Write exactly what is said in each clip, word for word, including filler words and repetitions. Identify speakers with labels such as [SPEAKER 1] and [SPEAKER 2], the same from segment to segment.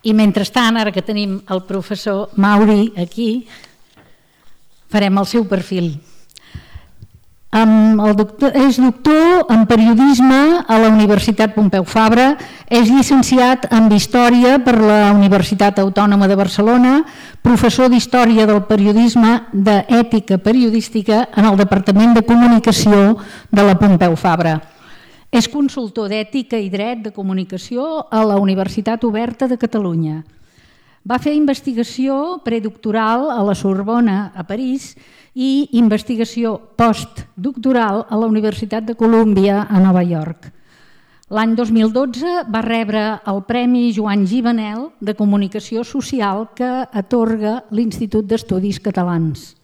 [SPEAKER 1] I mentrestant, ara que tenim el professor Mauri aquí, farem el seu perfil. El doctor, és doctor en periodisme a la Universitat Pompeu Fabra, és llicenciat en Història per la Universitat Autònoma de Barcelona, professor d'Història del Periodisme d'Ètica Periodística en el Departament de Comunicació de la Pompeu Fabra. És consultor d'Ètica i Dret de Comunicació a la Universitat Oberta de Catalunya. Va fer investigació predoctoral a la Sorbona, a París, i investigació postdoctoral a la Universitat de Colúmbia a Nova York. L'any dos mil dotze va rebre el Premi Joan Givanel de Comunicació Social que atorga l'Institut d'Estudis Catalans.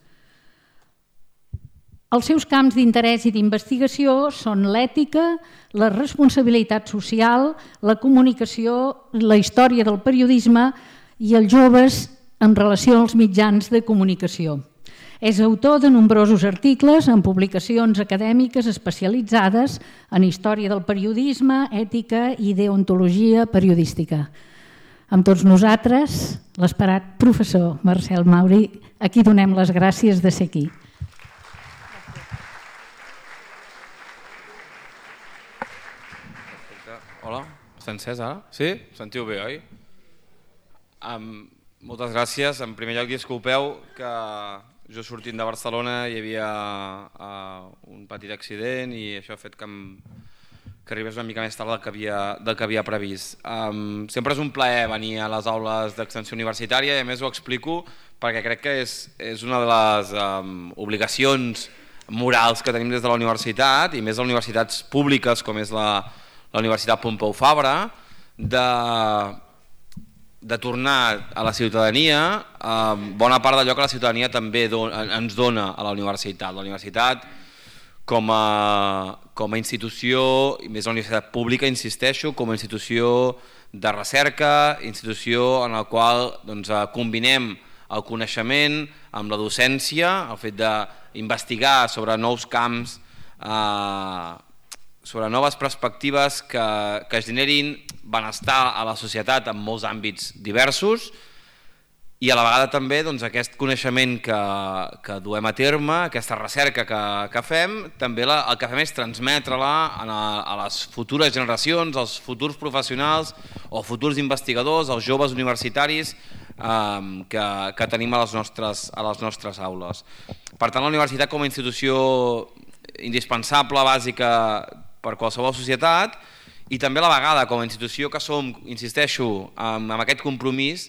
[SPEAKER 1] Els seus camps d'interès i d'investigació són l'ètica, la responsabilitat social, la comunicació, la història del periodisme i els joves en relació als mitjans de comunicació. És autor de nombrosos articles en publicacions acadèmiques especialitzades en història del periodisme, ètica i deontologia periodística. Amb tots nosaltres, l'esperat professor Marcel Mauri, a qui donem les gràcies de ser aquí.
[SPEAKER 2] Hola, està encès ara? Sí? Sentiu bé, oi? Um, moltes gràcies. En primer lloc, disculpeu que jo sortint de Barcelona hi havia uh, un petit accident i això ha fet que, em, que arribés una mica més tard del que havia, del que havia previst. Um, sempre és un plaer venir a les aules d'extensió universitària i a més ho explico perquè crec que és, és una de les um, obligacions morals que tenim des de la universitat i més a universitats públiques com és la, la Universitat Pompeu Fabra de... de tornar a la ciutadania eh, bona part d'allò que la ciutadania també don, ens dona a la universitat. La universitat com a, com a institució, i més la universitat pública, insisteixo, com a institució de recerca, institució en la qual doncs, combinem el coneixement amb la docència, el fet d'investigar sobre nous camps, eh, sobre noves perspectives que, que generin benestar a la societat en molts àmbits diversos i a la vegada també doncs, aquest coneixement que, que duem a terme, aquesta recerca que, que fem, també la, el que fem és transmetre-la a, a les futures generacions, als futurs professionals o futurs investigadors, als joves universitaris eh, que, que tenim a les, nostres, a les nostres aules. Per tant, la universitat com a institució indispensable, bàsica, per qualsevol societat i també a la vegada com a institució que som, insisteixo, amb, amb aquest compromís,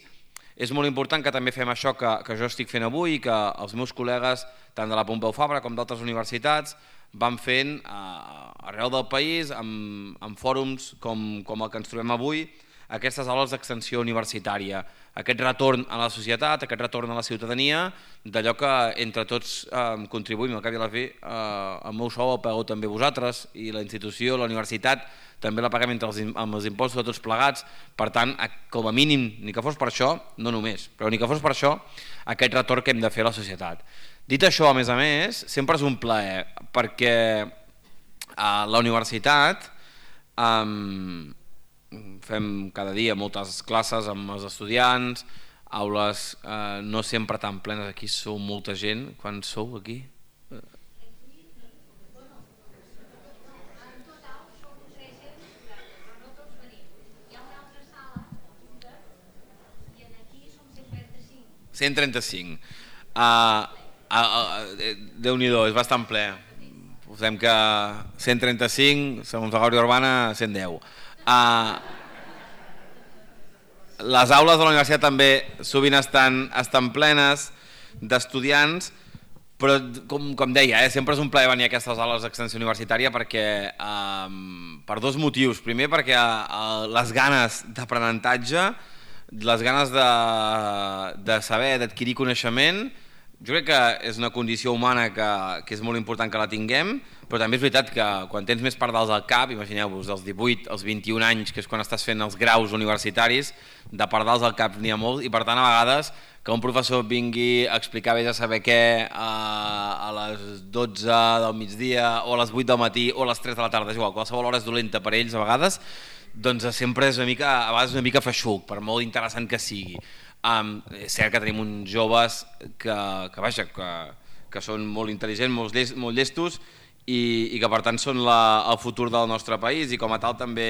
[SPEAKER 2] és molt important que també fem això que, que jo estic fent avui i que els meus col·legues, tant de la Pompeu Fabra com d'altres universitats, van fent eh, arreu del país, amb, amb fòrums com, com el que ens trobem avui, aquestes aules d'extensió universitària, aquest retorn a la societat, aquest retorn a la ciutadania, d'allò que entre tots eh, contribuïm, al cap i a la fi, eh, el meu sou el pagueu també vosaltres i la institució, la universitat, també la paguem entre els, amb els impostos de tots plegats, per tant, com a mínim, ni que fos per això, no només, però ni que fos per això, aquest retorn que hem de fer a la societat. Dit això, a més a més, sempre és un plaer, perquè a la universitat eh, fem cada dia moltes classes amb els estudiants, aules eh, no sempre tan plenes, aquí sou molta gent, quan sou aquí? cent trenta-cinc. Uh, uh, uh, Déu-n'hi-do, és bastant ple. Posem que cent trenta-cinc, segons la Guàrdia Urbana, cent deu. Uh, les aules de la universitat també sovint estan, estan plenes d'estudiants, però com, com deia, eh, sempre és un plaer venir a aquestes aules d'extensió universitària perquè, um, per dos motius. Primer perquè uh, les ganes d'aprenentatge, les ganes de, de saber, d'adquirir coneixement, jo crec que és una condició humana que, que és molt important que la tinguem, però també és veritat que quan tens més pardals al cap, imagineu-vos, dels divuit als vint-i-un anys, que és quan estàs fent els graus universitaris, de pardals al cap n'hi ha molts, i per tant a vegades que un professor vingui a explicar vés a saber què a, a les dotze del migdia o a les vuit del matí o a les tres de la tarda, és igual, qualsevol hora és dolenta per ells a vegades, doncs sempre és una mica, a vegades una mica feixuc, per molt interessant que sigui. Um, és cert que tenim uns joves que, que, vaja, que, que són molt intel·ligents, molt, llest, molt llestos i, i que per tant són la, el futur del nostre país i com a tal també,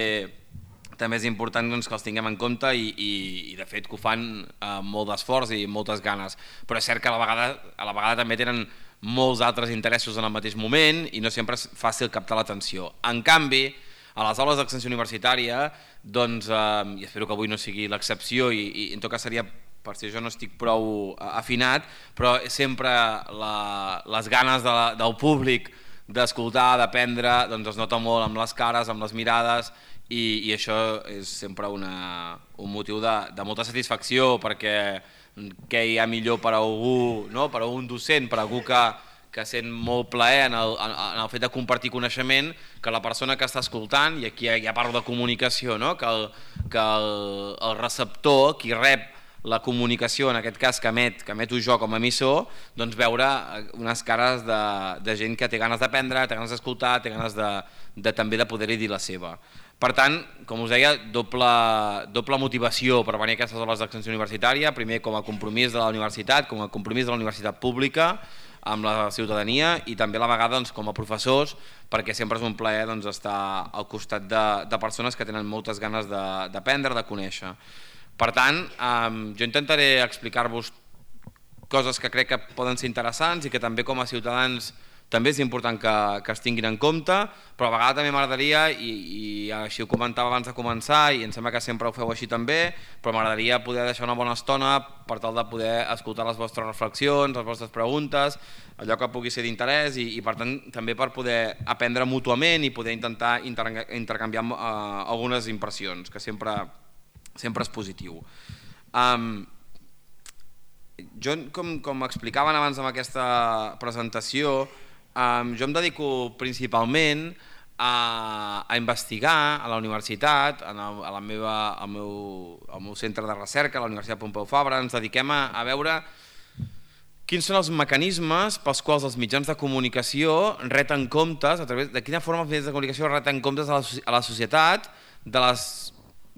[SPEAKER 2] també és important doncs, que els tinguem en compte i, i, i de fet que ho fan amb molt d'esforç i moltes ganes, però és cert que a la vegada, a la vegada també tenen molts altres interessos en el mateix moment i no sempre és fàcil captar l'atenció. En canvi, a les aules d'extensió universitària, doncs, eh, i espero que avui no sigui l'excepció i, i en tot cas seria per si jo no estic prou afinat, però sempre la, les ganes de la, del públic d'escoltar, d'aprendre, doncs es nota molt amb les cares, amb les mirades i, i això és sempre una, un motiu de, de molta satisfacció perquè què hi ha millor per a algú, no? Per a un docent, per a algú que, que sent molt plaer en el, en el fet de compartir coneixement que la persona que està escoltant, i aquí ja parlo de comunicació, no? que, el, que el, el receptor, qui rep la comunicació, en aquest cas que emet, que emeto jo com a emissor, doncs veure unes cares de, de gent que té ganes d'aprendre, té ganes d'escoltar, té ganes de, de, també de poder-hi dir la seva. Per tant, com us deia, doble, doble motivació per venir a aquestes aules d'extensió universitària, primer com a compromís de la universitat, com a compromís de la universitat pública amb la ciutadania i també a la vegada doncs, com a professors, perquè sempre és un plaer doncs, estar al costat de, de persones que tenen moltes ganes d'aprendre, de, de conèixer. Per tant, eh, jo intentaré explicar-vos coses que crec que poden ser interessants i que també com a ciutadans també és important que, que es tinguin en compte, però a vegades també m'agradaria, i, i així ho comentava abans de començar, i em sembla que sempre ho feu així també, però m'agradaria poder deixar una bona estona per tal de poder escoltar les vostres reflexions, les vostres preguntes, allò que pugui ser d'interès i, i per tant també per poder aprendre mútuament i poder intentar intercanviar uh, algunes impressions, que sempre, sempre és positiu. Um, jo, com, com explicaven abans amb aquesta presentació, Um, jo em dedico principalment a, a investigar a la universitat, en el, a la meva, al, meu, al meu centre de recerca, a la Universitat Pompeu Fabra, ens dediquem a, a veure quins són els mecanismes pels quals els mitjans de comunicació reten comptes, a través de quina forma els mitjans de comunicació reten comptes a la, a la societat de les,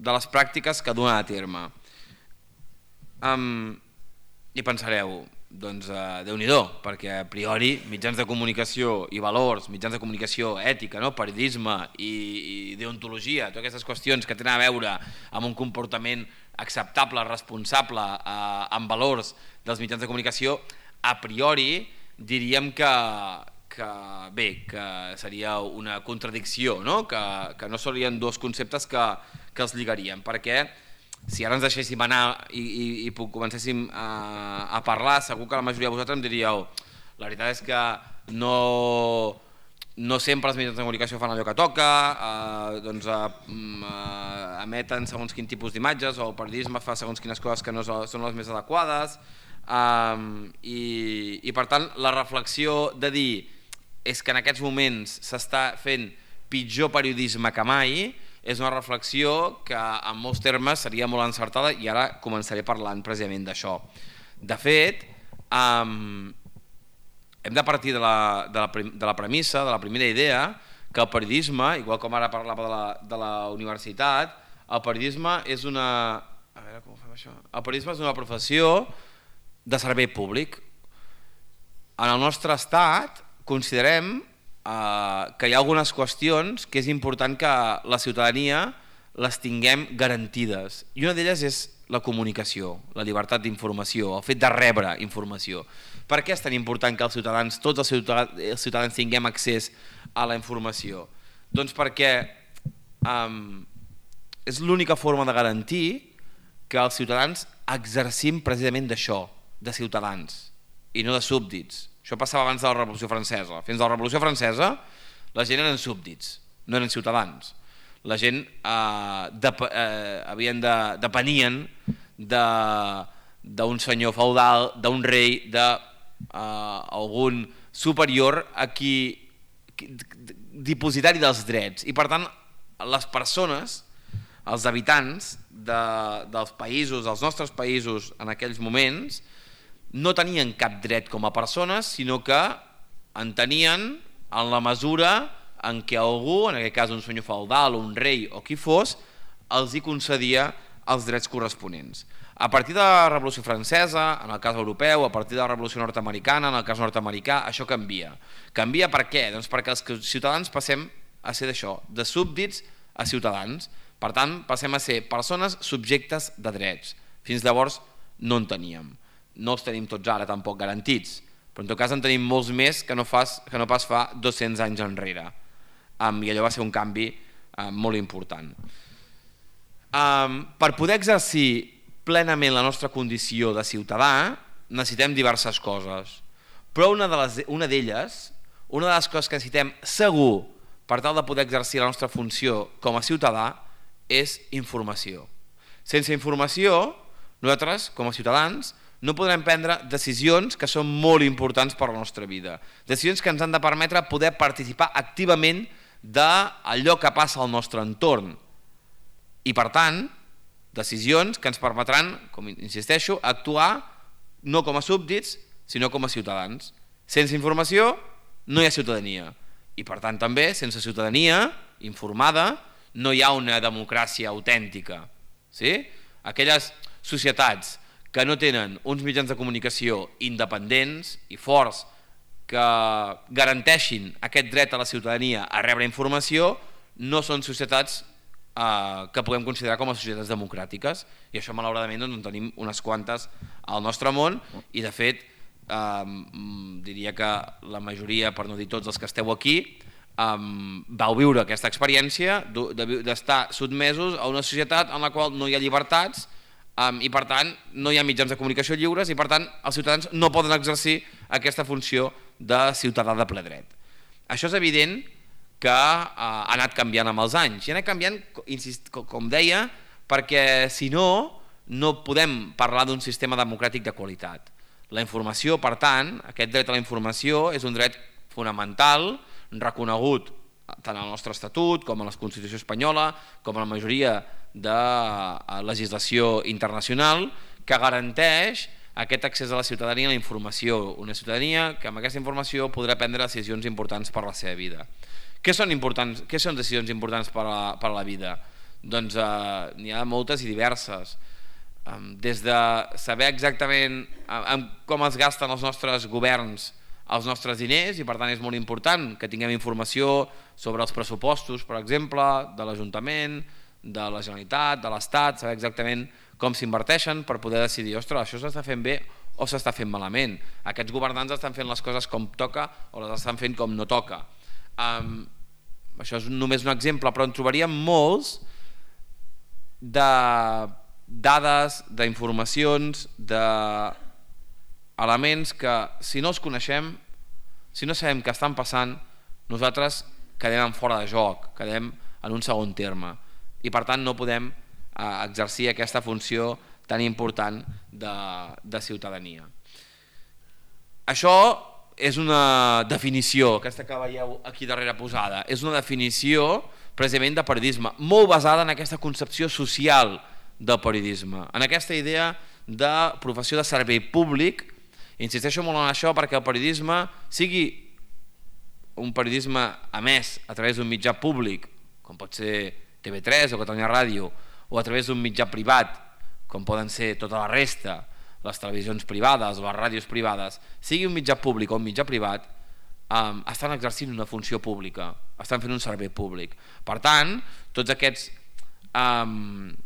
[SPEAKER 2] de les pràctiques que duen a terme. Um, I pensareu, doncs uh, Déu-n'hi-do, perquè a priori mitjans de comunicació i valors, mitjans de comunicació, ètica, no? Periodisme i, i deontologia, totes aquestes qüestions que tenen a veure amb un comportament acceptable, responsable, uh, amb valors dels mitjans de comunicació, a priori diríem que, que bé, que seria una contradicció, no? Que, que no serien dos conceptes que, que els lligaríem, perquè si ara ens deixéssim anar i, i, i comencéssim a, a parlar, segur que la majoria de vosaltres em diríeu la veritat és que no, no sempre els mitjans de comunicació fan allò que toca, eh, doncs, eh, emeten segons quin tipus d'imatges o el periodisme fa segons quines coses que no són les més adequades eh, i, i per tant la reflexió de dir és que en aquests moments s'està fent pitjor periodisme que mai és una reflexió que en molts termes seria molt encertada i ara començaré parlant precisament d'això. De fet, um, hem de partir de la, de, la, de la premissa, de la primera idea, que el periodisme, igual com ara parlava de la, de la universitat, el periodisme és una... A veure com ho fem això? El periodisme és una professió de servei públic. En el nostre estat considerem Uh, que hi ha algunes qüestions que és important que la ciutadania les tinguem garantides i una d'elles és la comunicació, la llibertat d'informació, el fet de rebre informació. Per què és tan important que els ciutadans, tots els ciutadans, els ciutadans tinguem accés a la informació? Doncs perquè um, és l'única forma de garantir que els ciutadans exercim precisament d'això, de ciutadans i no de súbdits. Això passava abans de la Revolució Francesa. Fins a la Revolució Francesa la gent eren súbdits, no eren ciutadans. La gent eh, de, eh, havien de, depenien d'un senyor feudal, d'un rei, d'algun eh, superior a qui, qui dipositari dels drets. I per tant les persones, els habitants de, dels països, dels nostres països en aquells moments, no tenien cap dret com a persones, sinó que en tenien en la mesura en què algú, en aquest cas un senyor feudal o un rei o qui fos, els hi concedia els drets corresponents. A partir de la Revolució Francesa, en el cas europeu, a partir de la Revolució Nord-americana, en el cas nord-americà, això canvia. Canvia per què? Doncs perquè els ciutadans passem a ser d'això, de súbdits a ciutadans. Per tant, passem a ser persones subjectes de drets. Fins llavors no en teníem. No els tenim tots ara tampoc garantits, però en tot cas en tenim molts més que no, fas, que no pas fa dos-cents anys enrere. Um, I allò va ser un canvi um, molt important. Um, per poder exercir plenament la nostra condició de ciutadà necessitem diverses coses, però una de les, una d'elles, una de les coses que necessitem segur per tal de poder exercir la nostra funció com a ciutadà és informació. Sense informació, nosaltres, com a ciutadans, no podrem prendre decisions que són molt importants per a la nostra vida. Decisions que ens han de permetre poder participar activament d'allò que passa al nostre entorn. I per tant, decisions que ens permetran, com insisteixo, actuar no com a súbdits, sinó com a ciutadans. Sense informació no hi ha ciutadania. I per tant també, sense ciutadania informada, no hi ha una democràcia autèntica. Sí? Aquelles societats que no tenen uns mitjans de comunicació independents i forts que garanteixin aquest dret a la ciutadania a rebre informació no són societats eh, que puguem considerar com a societats democràtiques, i això malauradament doncs, en tenim unes quantes al nostre món, i de fet eh, diria que la majoria, per no dir tots els que esteu aquí, Um, vau viure aquesta experiència d'estar sotmesos a una societat en la qual no hi ha llibertats um, i per tant no hi ha mitjans de comunicació lliures i per tant els ciutadans no poden exercir aquesta funció de ciutadà de ple dret. Això és evident que uh, ha anat canviant amb els anys i ha anat canviant, insist, com deia, perquè si no, no podem parlar d'un sistema democràtic de qualitat. La informació, per tant, aquest dret a la informació és un dret fonamental reconegut tant al nostre estatut com a la Constitució espanyola com a la majoria de legislació internacional que garanteix aquest accés a la ciutadania a la informació, una ciutadania que amb aquesta informació podrà prendre decisions importants per a la seva vida. Què són, importants, què són decisions importants per a, per a la vida? Doncs eh, n'hi ha moltes i diverses, des de saber exactament eh, com es gasten els nostres governs els nostres diners, i per tant és molt important que tinguem informació sobre els pressupostos, per exemple, de l'Ajuntament, de la Generalitat, de l'Estat, saber exactament com s'inverteixen per poder decidir, ostres, això s'està fent bé o s'està fent malament. Aquests governants estan fent les coses com toca o les estan fent com no toca. Um, això és només un exemple, però en trobaríem molts de dades, d'informacions, de elements que si no els coneixem, si no sabem què estan passant, nosaltres quedem en fora de joc, quedem en un segon terme i per tant no podem eh, exercir aquesta funció tan important de, de ciutadania. Això és una definició, aquesta que veieu aquí darrere posada, és una definició precisament de periodisme, molt basada en aquesta concepció social del periodisme, en aquesta idea de professió de servei públic. Insisteixo molt en això perquè el periodisme, sigui un periodisme emès a través d'un mitjà públic, com pot ser T V tres o Catalunya Ràdio, o a través d'un mitjà privat, com poden ser tota la resta, les televisions privades o les ràdios privades, sigui un mitjà públic o un mitjà privat, um, estan exercint una funció pública, estan fent un servei públic. Per tant, tots aquests... Um,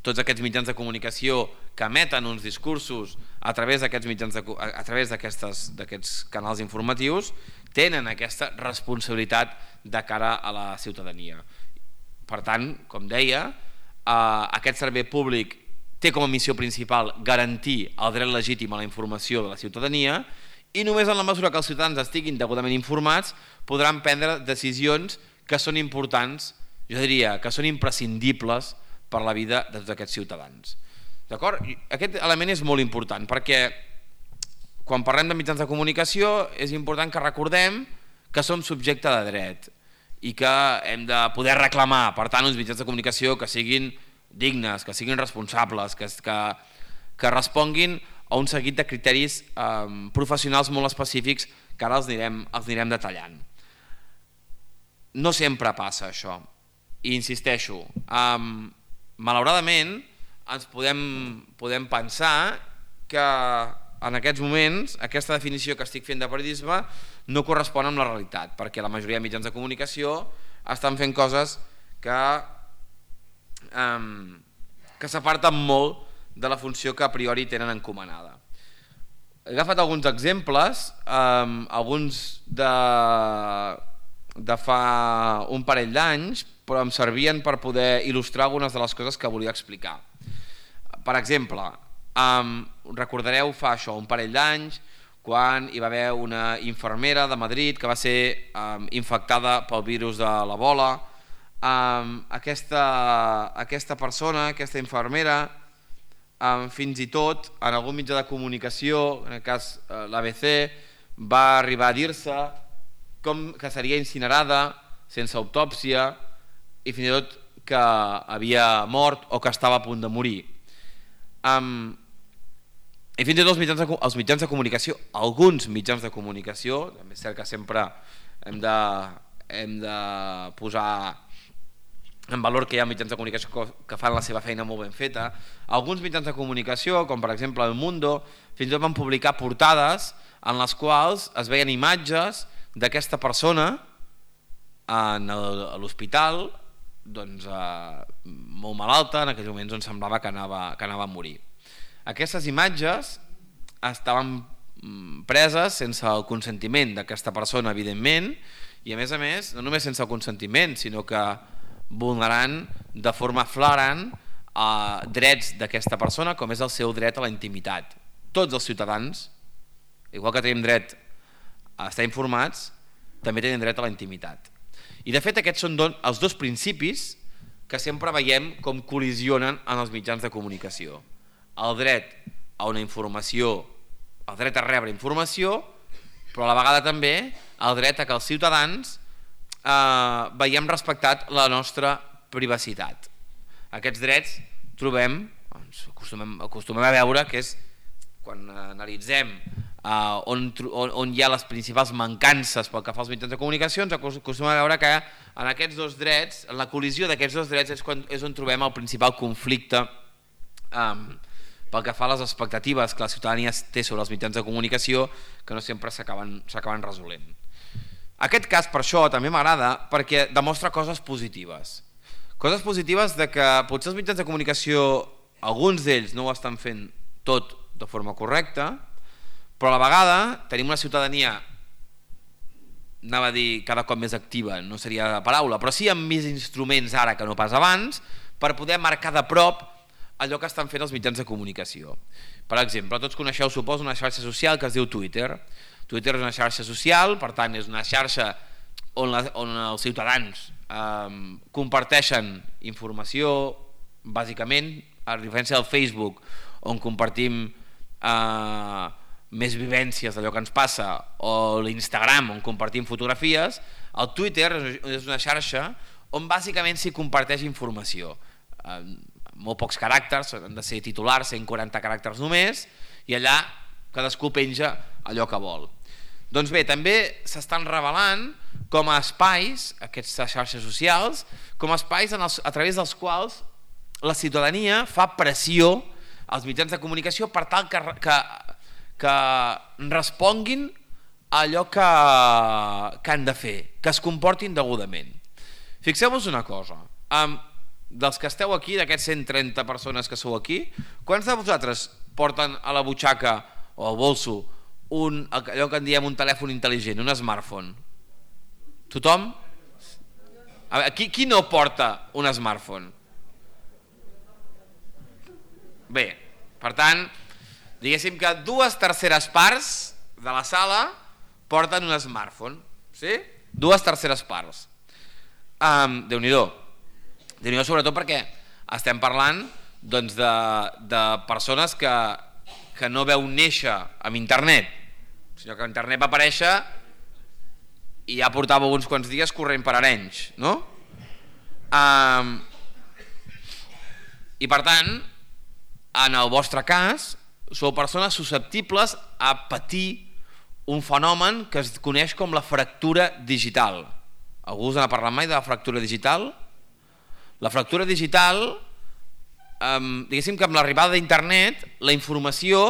[SPEAKER 2] tots aquests mitjans de comunicació que emeten uns discursos a través d'aquests mitjans de, a través d'aquests canals informatius tenen aquesta responsabilitat de cara a la ciutadania. Per tant, com deia, eh, aquest servei públic té com a missió principal garantir el dret legítim a la informació de la ciutadania i només en la mesura que els ciutadans estiguin degudament informats podran prendre decisions que són importants, jo diria que són imprescindibles per la vida de tots aquests ciutadans. D'acord? Aquest element és molt important perquè quan parlem de mitjans de comunicació és important que recordem que som subjecte de dret i que hem de poder reclamar, per tant, uns mitjans de comunicació que siguin dignes, que siguin responsables, que, que, que responguin a un seguit de criteris eh, professionals molt específics que ara els anirem, els anirem detallant. No sempre passa això, i insisteixo, eh, malauradament, ens podem, podem pensar que en aquests moments aquesta definició que estic fent de periodisme no correspon amb la realitat, perquè la majoria de mitjans de comunicació estan fent coses que, um, que s'aparten molt de la funció que a priori tenen encomanada. He agafat alguns exemples, um, alguns de, de fa un parell d'anys, però em servien per poder il·lustrar algunes de les coses que volia explicar. Per exemple, um, recordareu fa això, un parell d'anys, quan hi va haver una infermera de Madrid que va ser um, infectada pel virus de l'Ebola. Um, aquesta, aquesta persona, aquesta infermera, um, fins i tot en algun mitjà de comunicació, en el cas uh, l'A B C, va arribar a dir-se com que seria incinerada sense autòpsia i fins i tot que havia mort o que estava a punt de morir. Um, I fins i tot els mitjans, de, els mitjans de comunicació, alguns mitjans de comunicació, també és cert que sempre hem de, hem de posar en valor que hi ha mitjans de comunicació que fan la seva feina molt ben feta, alguns mitjans de comunicació, com per exemple El Mundo, fins i tot van publicar portades en les quals es veien imatges d'aquesta persona en el, a l'hospital, doncs, eh, molt malalta, en aquells moments on semblava que anava, que anava a morir. Aquestes imatges estaven preses sense el consentiment d'aquesta persona, evidentment, i a més a més, no només sense el consentiment, sinó que vulnerant de forma flagrant eh, drets d'aquesta persona, com és el seu dret a la intimitat. Tots els ciutadans, igual que tenim dret a estar informats, també tenen dret a la intimitat. I de fet aquests són don, els dos principis que sempre veiem com col·lisionen en els mitjans de comunicació. El dret a una informació, el dret a rebre informació, però a la vegada també el dret a que els ciutadans eh, veiem respectat la nostra privacitat. Aquests drets trobem, doncs, acostumem, acostumem a veure que és quan analitzem Uh, on, on, on hi ha les principals mancances pel que fa als mitjans de comunicació, ens acostumem a veure que en aquests dos drets, en la col·lisió d'aquests dos drets és, quan, és on trobem el principal conflicte um, pel que fa a les expectatives que la ciutadania té sobre els mitjans de comunicació, que no sempre s'acaben resolent. Aquest cas per això també m'agrada perquè demostra coses positives. Coses positives de que potser els mitjans de comunicació, alguns d'ells no ho estan fent tot de forma correcta, però a la vegada tenim una ciutadania, anava a dir cada cop més activa, no seria la paraula, però sí amb més instruments ara que no pas abans, per poder marcar de prop allò que estan fent els mitjans de comunicació. Per exemple, tots coneixeu, suposo, una xarxa social que es diu Twitter. Twitter és una xarxa social, per tant és una xarxa on, la, on els ciutadans eh, comparteixen informació, bàsicament, a diferència del Facebook, on compartim eh, més vivències d'allò que ens passa, o l'Instagram on compartim fotografies, el Twitter és una xarxa on bàsicament s'hi comparteix informació. Eh, molt pocs caràcters, han de ser titulars, cent quaranta caràcters només, i allà cadascú penja allò que vol. Doncs bé, també s'estan revelant com a espais, aquestes xarxes socials, com a espais en els, a través dels quals la ciutadania fa pressió als mitjans de comunicació per tal que, que que responguin a allò que, que han de fer, que es comportin degudament. Fixeu-vos una cosa, um, dels que esteu aquí, d'aquests cent trenta persones que sou aquí, quants de vosaltres porten a la butxaca o al bolso un, allò que en diem un telèfon intel·ligent, un smartphone? Tothom? A veure, qui, qui no porta un smartphone? Bé, per tant, diguéssim que dues terceres parts de la sala porten un smartphone, sí? Dues terceres parts. Um, Déu-n'hi-do. Déu-n'hi-do sobretot perquè estem parlant doncs, de, de persones que, que no veu néixer amb internet, sinó que internet va aparèixer i ja portava uns quants dies corrent per Arenys, no? Um, I per tant, en el vostre cas, sou persones susceptibles a patir un fenomen que es coneix com la fractura digital. Algú us n'ha parlat mai de la fractura digital? La fractura digital diguéssim que amb l'arribada d'internet la informació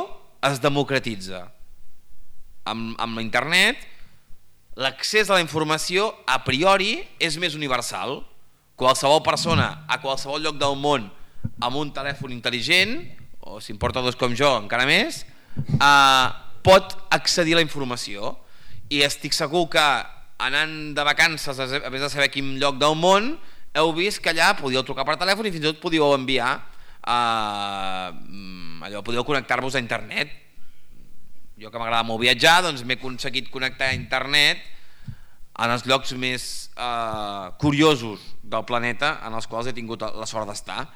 [SPEAKER 2] es democratitza. Amb, amb l'internet l'accés a la informació a priori és més universal. Qualsevol persona a qualsevol lloc del món amb un telèfon intel·ligent, o si en porta dos com jo encara més, eh, pot accedir a la informació. I estic segur que anant de vacances, a més de saber quin lloc del món, heu vist que allà podíeu trucar per telèfon i fins i tot podíeu enviar, eh, allò, podíeu connectar-vos a internet. Jo que m'agrada molt viatjar, doncs m'he aconseguit connectar a internet en els llocs més eh, curiosos del planeta en els quals he tingut la sort d'estar.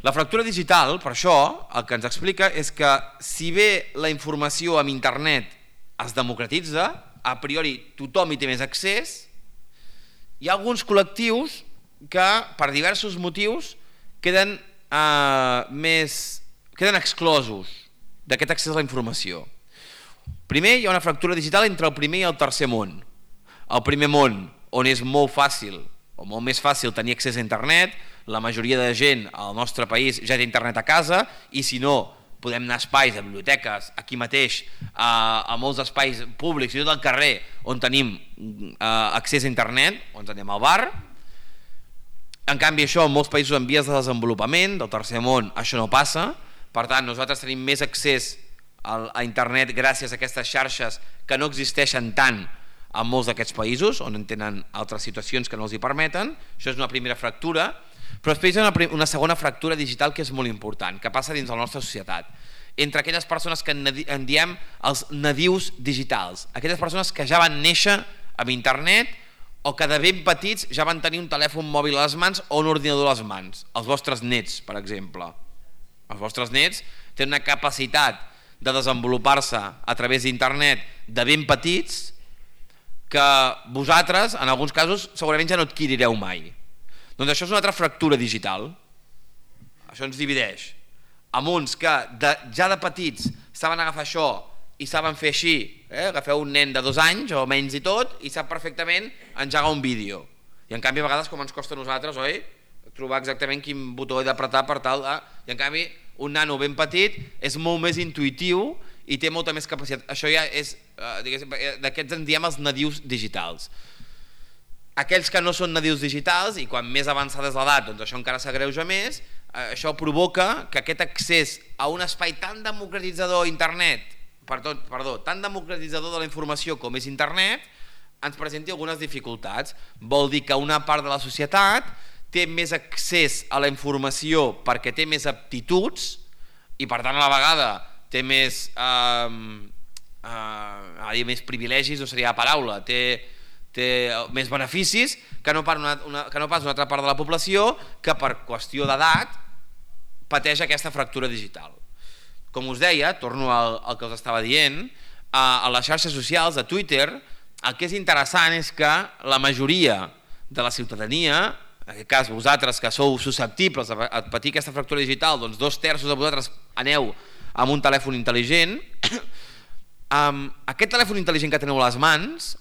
[SPEAKER 2] La fractura digital, per això, el que ens explica és que si bé la informació amb internet es democratitza, a priori tothom hi té més accés, hi ha alguns col·lectius que per diversos motius queden, eh, més, queden exclosos d'aquest accés a la informació. Primer, hi ha una fractura digital entre el primer i el tercer món. El primer món, on és molt fàcil o molt més fàcil tenir accés a internet, la majoria de gent al nostre país ja té internet a casa, i si no, podem anar a espais, a biblioteques, aquí mateix, a, a molts espais públics i tot el carrer on tenim uh, accés a internet, on anem al bar. En canvi, això en molts països en vies de desenvolupament, del tercer món, això no passa. Per tant, nosaltres tenim més accés a internet gràcies a aquestes xarxes que no existeixen tant en molts d'aquests països, on en tenen altres situacions que no els hi permeten. Això és una primera fractura. Però després hi ha una, una segona fractura digital que és molt important, que passa dins de la nostra societat, entre aquelles persones que en diem els nadius digitals, aquelles persones que ja van néixer amb internet o que de ben petits ja van tenir un telèfon mòbil a les mans o un ordinador a les mans, els vostres nets, per exemple. Els vostres nets tenen una capacitat de desenvolupar-se a través d'internet de ben petits que vosaltres, en alguns casos, segurament ja no adquirireu mai. Doncs això és una altra fractura digital. Això ens divideix. Amb uns que de, ja de petits saben agafar això i saben fer així, eh? Agafeu un nen de dos anys o menys i tot i sap perfectament engegar un vídeo. I en canvi a vegades com ens costa a nosaltres, oi? Trobar exactament quin botó he d'apretar per tal de... I en canvi un nano ben petit és molt més intuïtiu i té molta més capacitat. Això ja és, eh, d'aquests en diem els nadius digitals. Aquells que no són nadius digitals i quan més avançada és l'edat, doncs això encara s'agreuja més, eh, això provoca que aquest accés a un espai tan democratitzador internet, perdó, perdó, tan democratitzador de la informació com és internet, ens presenti algunes dificultats. Vol dir que una part de la societat té més accés a la informació perquè té més aptituds i per tant a la vegada té més, eh, eh, més privilegis, no seria la paraula, té, té més beneficis que no, una, una, que no pas una altra part de la població que per qüestió d'edat pateix aquesta fractura digital. Com us deia, torno al, al que us estava dient, a, a les xarxes socials, a Twitter, el que és interessant és que la majoria de la ciutadania, en aquest cas vosaltres que sou susceptibles a patir aquesta fractura digital, doncs dos terços de vosaltres aneu amb un telèfon intel·ligent, um, aquest telèfon intel·ligent que teniu a les mans,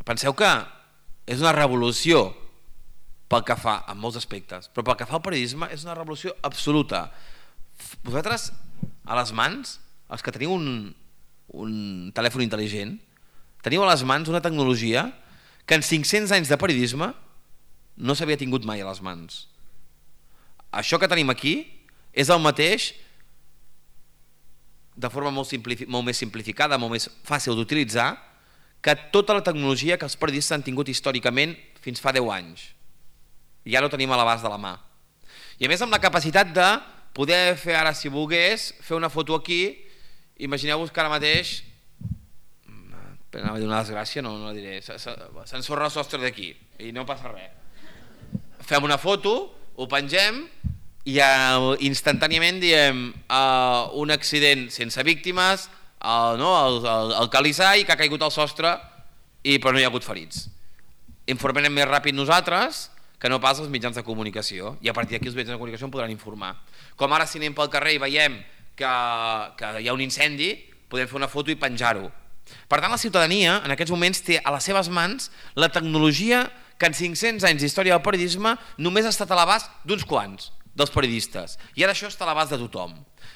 [SPEAKER 2] penseu que és una revolució pel que fa en molts aspectes, però pel que fa al periodisme és una revolució absoluta. Vosaltres a les mans, els que teniu un, un telèfon intel·ligent, teniu a les mans una tecnologia que en cinc-cents anys de periodisme no s'havia tingut mai a les mans. Això que tenim aquí és el mateix de forma molt, molt més simplificada, molt més fàcil d'utilitzar, que tota la tecnologia que els periodistes han tingut històricament fins fa deu anys. I ara ho tenim a l'abast de la mà. I a més amb la capacitat de poder fer ara, si volgués, fer una foto aquí, imagineu-vos que ara mateix, per anar a dir una desgràcia, no, no la diré, s'ensorra el sostre d'aquí i no passa res. Fem una foto, ho pengem i instantàniament diem un accident sense víctimes, el calisall que ha caigut al sostre però no hi ha hagut ferits. Informarem més ràpid nosaltres que no pas els mitjans de comunicació i a partir d'aquí els mitjans de comunicació en podran informar. Com ara si anem pel carrer i veiem que, que hi ha un incendi, podem fer una foto i penjar-ho. Per tant, la ciutadania en aquests moments té a les seves mans la tecnologia que en cinc-cents anys d'història del periodisme només ha estat a l'abast d'uns quants, dels periodistes. I ara això està a l'abast de tothom.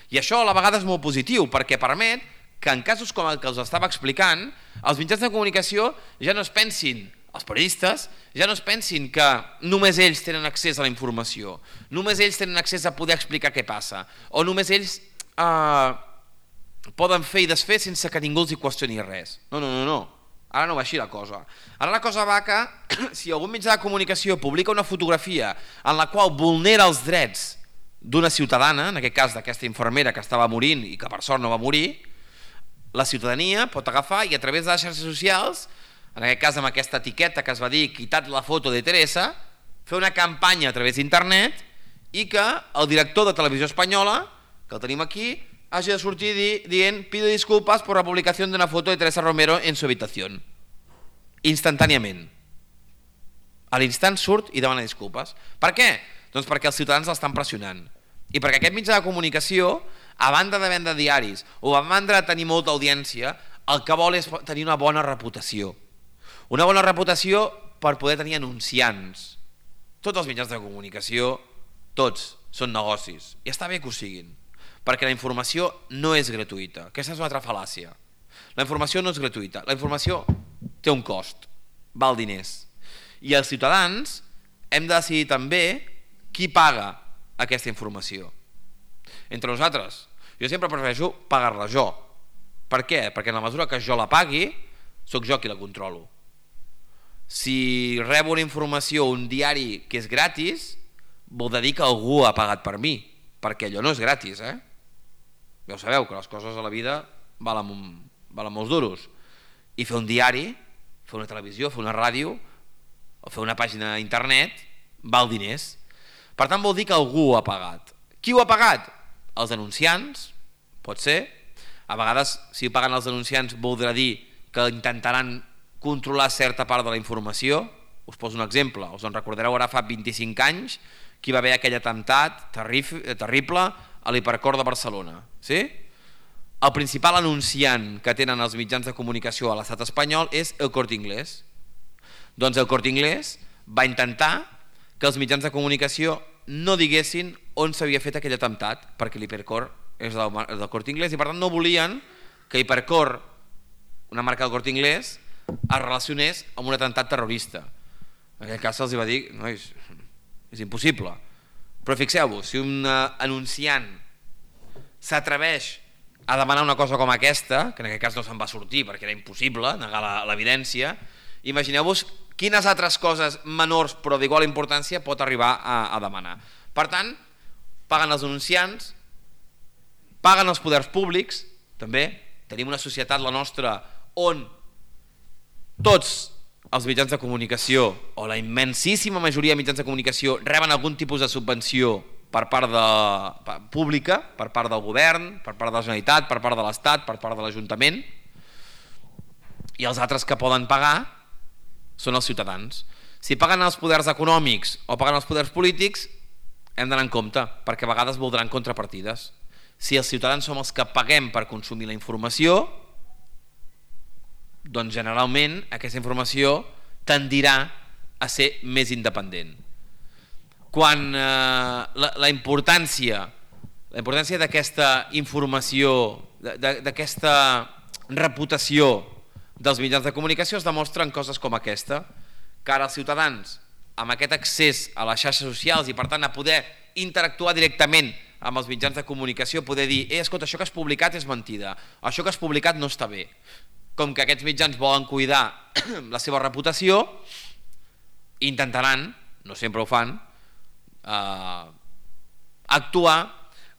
[SPEAKER 2] I això a la vegada és molt positiu, perquè permet que en casos com el que us estava explicant, els mitjans de comunicació ja no es pensin, els periodistes, ja no es pensin que només ells tenen accés a la informació, només ells tenen accés a poder explicar què passa, o només ells eh, poden fer i desfer sense que ningú els hi qüestioni res. No, no, no, no. Ara no va així la cosa. Ara la cosa va que si algun mitjà de comunicació publica una fotografia en la qual vulnera els drets d'una ciutadana, en aquest cas d'aquesta infermera que estava morint i que per sort no va morir, la ciutadania pot agafar i a través de les xarxes socials, en aquest cas amb aquesta etiqueta que es va dir "quitat la foto de Teresa", fer una campanya a través d'internet i que el director de Televisió Espanyola, que el tenim aquí, hagi de sortir di dient "pido disculpas por la publicación de una foto de Teresa Romero en su habitación". Instantàniament. A l'instant surt i demana disculpes. Per què? Doncs perquè els ciutadans l'estan pressionant. I perquè aquest mitjà de comunicació, a banda de vendre diaris o a banda de tenir molta audiència, el que vol és tenir una bona reputació. Una bona reputació per poder tenir anunciants. Tots els mitjans de comunicació, tots, són negocis. I està bé que ho siguin. Perquè la informació no és gratuïta. Aquesta és una altra fal·làcia. La informació no és gratuïta. La informació té un cost, val diners. I els ciutadans hem de decidir també qui paga aquesta informació. Entre nosaltres, jo sempre prefereixo pagar-la jo. Per què? Perquè en la mesura que jo la pagui, sóc jo qui la controlo. Si rebo una informació, un diari que és gratis, vol dir que algú ha pagat per mi, perquè allò no és gratis, eh? Ja ho sabeu, que les coses a la vida valen, valen molts duros. I fer un diari, fer una televisió, fer una ràdio, o fer una pàgina d'internet, val diners. Per tant, vol dir que algú ho ha pagat. Qui ho ha pagat? Els denunciants, pot ser. A vegades, si ho paguen els denunciants, voldrà dir que intentaran controlar certa part de la informació. Us poso un exemple. Us en recordareu ara fa vint-i-cinc anys que hi va haver aquell atemptat terrible a l'Hipercor de Barcelona. Sí? El principal anunciant que tenen els mitjans de comunicació a l'estat espanyol és El Corte Inglés. Doncs El Corte Inglés va intentar que els mitjans de comunicació no diguessin on s'havia fet aquell atemptat, perquè l'Hipercor és del, del Corte Inglés i per tant no volien que Hipercor, una marca del Corte Inglés, es relacionés amb un atemptat terrorista. En aquest cas se'ls va dir, no, és, és impossible. Però fixeu-vos, si un anunciant s'atreveix a demanar una cosa com aquesta, que en aquest cas no se'n va sortir perquè era impossible negar l'evidència, imagineu-vos quines altres coses menors però d'igual importància pot arribar a, a demanar. Per tant, paguen els anunciants, paguen els poders públics, també tenim una societat, la nostra, on tots els mitjans de comunicació, o la immensíssima majoria de mitjans de comunicació, reben algun tipus de subvenció per part de, per, pública, per part del govern, per part de la Generalitat, per part de l'Estat, per part de l'Ajuntament, i els altres que poden pagar són els ciutadans. Si paguen els poders econòmics o paguen els poders polítics, hem d'anar en compte, perquè a vegades voldran contrapartides. Si els ciutadans som els que paguem per consumir la informació, doncs generalment aquesta informació tendirà a ser més independent. Quan eh, la, la importància la importància d'aquesta informació, d'aquesta reputació dels mitjans de comunicació es demostra en coses com aquesta, que ara els ciutadans, amb aquest accés a les xarxes socials i per tant a poder interactuar directament amb els mitjans de comunicació, poder dir, eh, escolta, això que has publicat és mentida, això que has publicat no està bé. Com que aquests mitjans volen cuidar la seva reputació, intentaran, no sempre ho fan, eh, actuar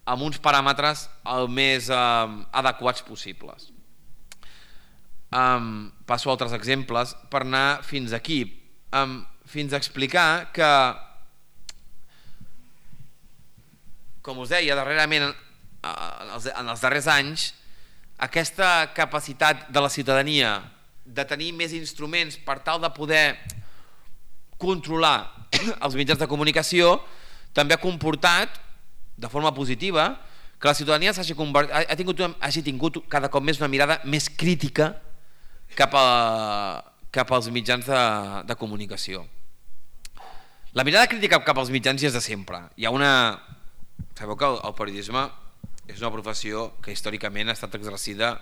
[SPEAKER 2] amb uns paràmetres el més eh, adequats possibles. Um, passo a altres exemples per anar fins aquí, um, fins a explicar que, com us deia, darrerament, en els, en els darrers anys, aquesta capacitat de la ciutadania de tenir més instruments per tal de poder controlar els mitjans de comunicació també ha comportat de forma positiva que la ciutadania s'hagi convertit, ha tingut, hagi tingut cada cop més una mirada més crítica cap, a, cap als mitjans de, de comunicació. La mirada crítica cap als mitjans ja és de sempre. Hi ha una... Sabeu que el periodisme és una professió que històricament ha estat exercida,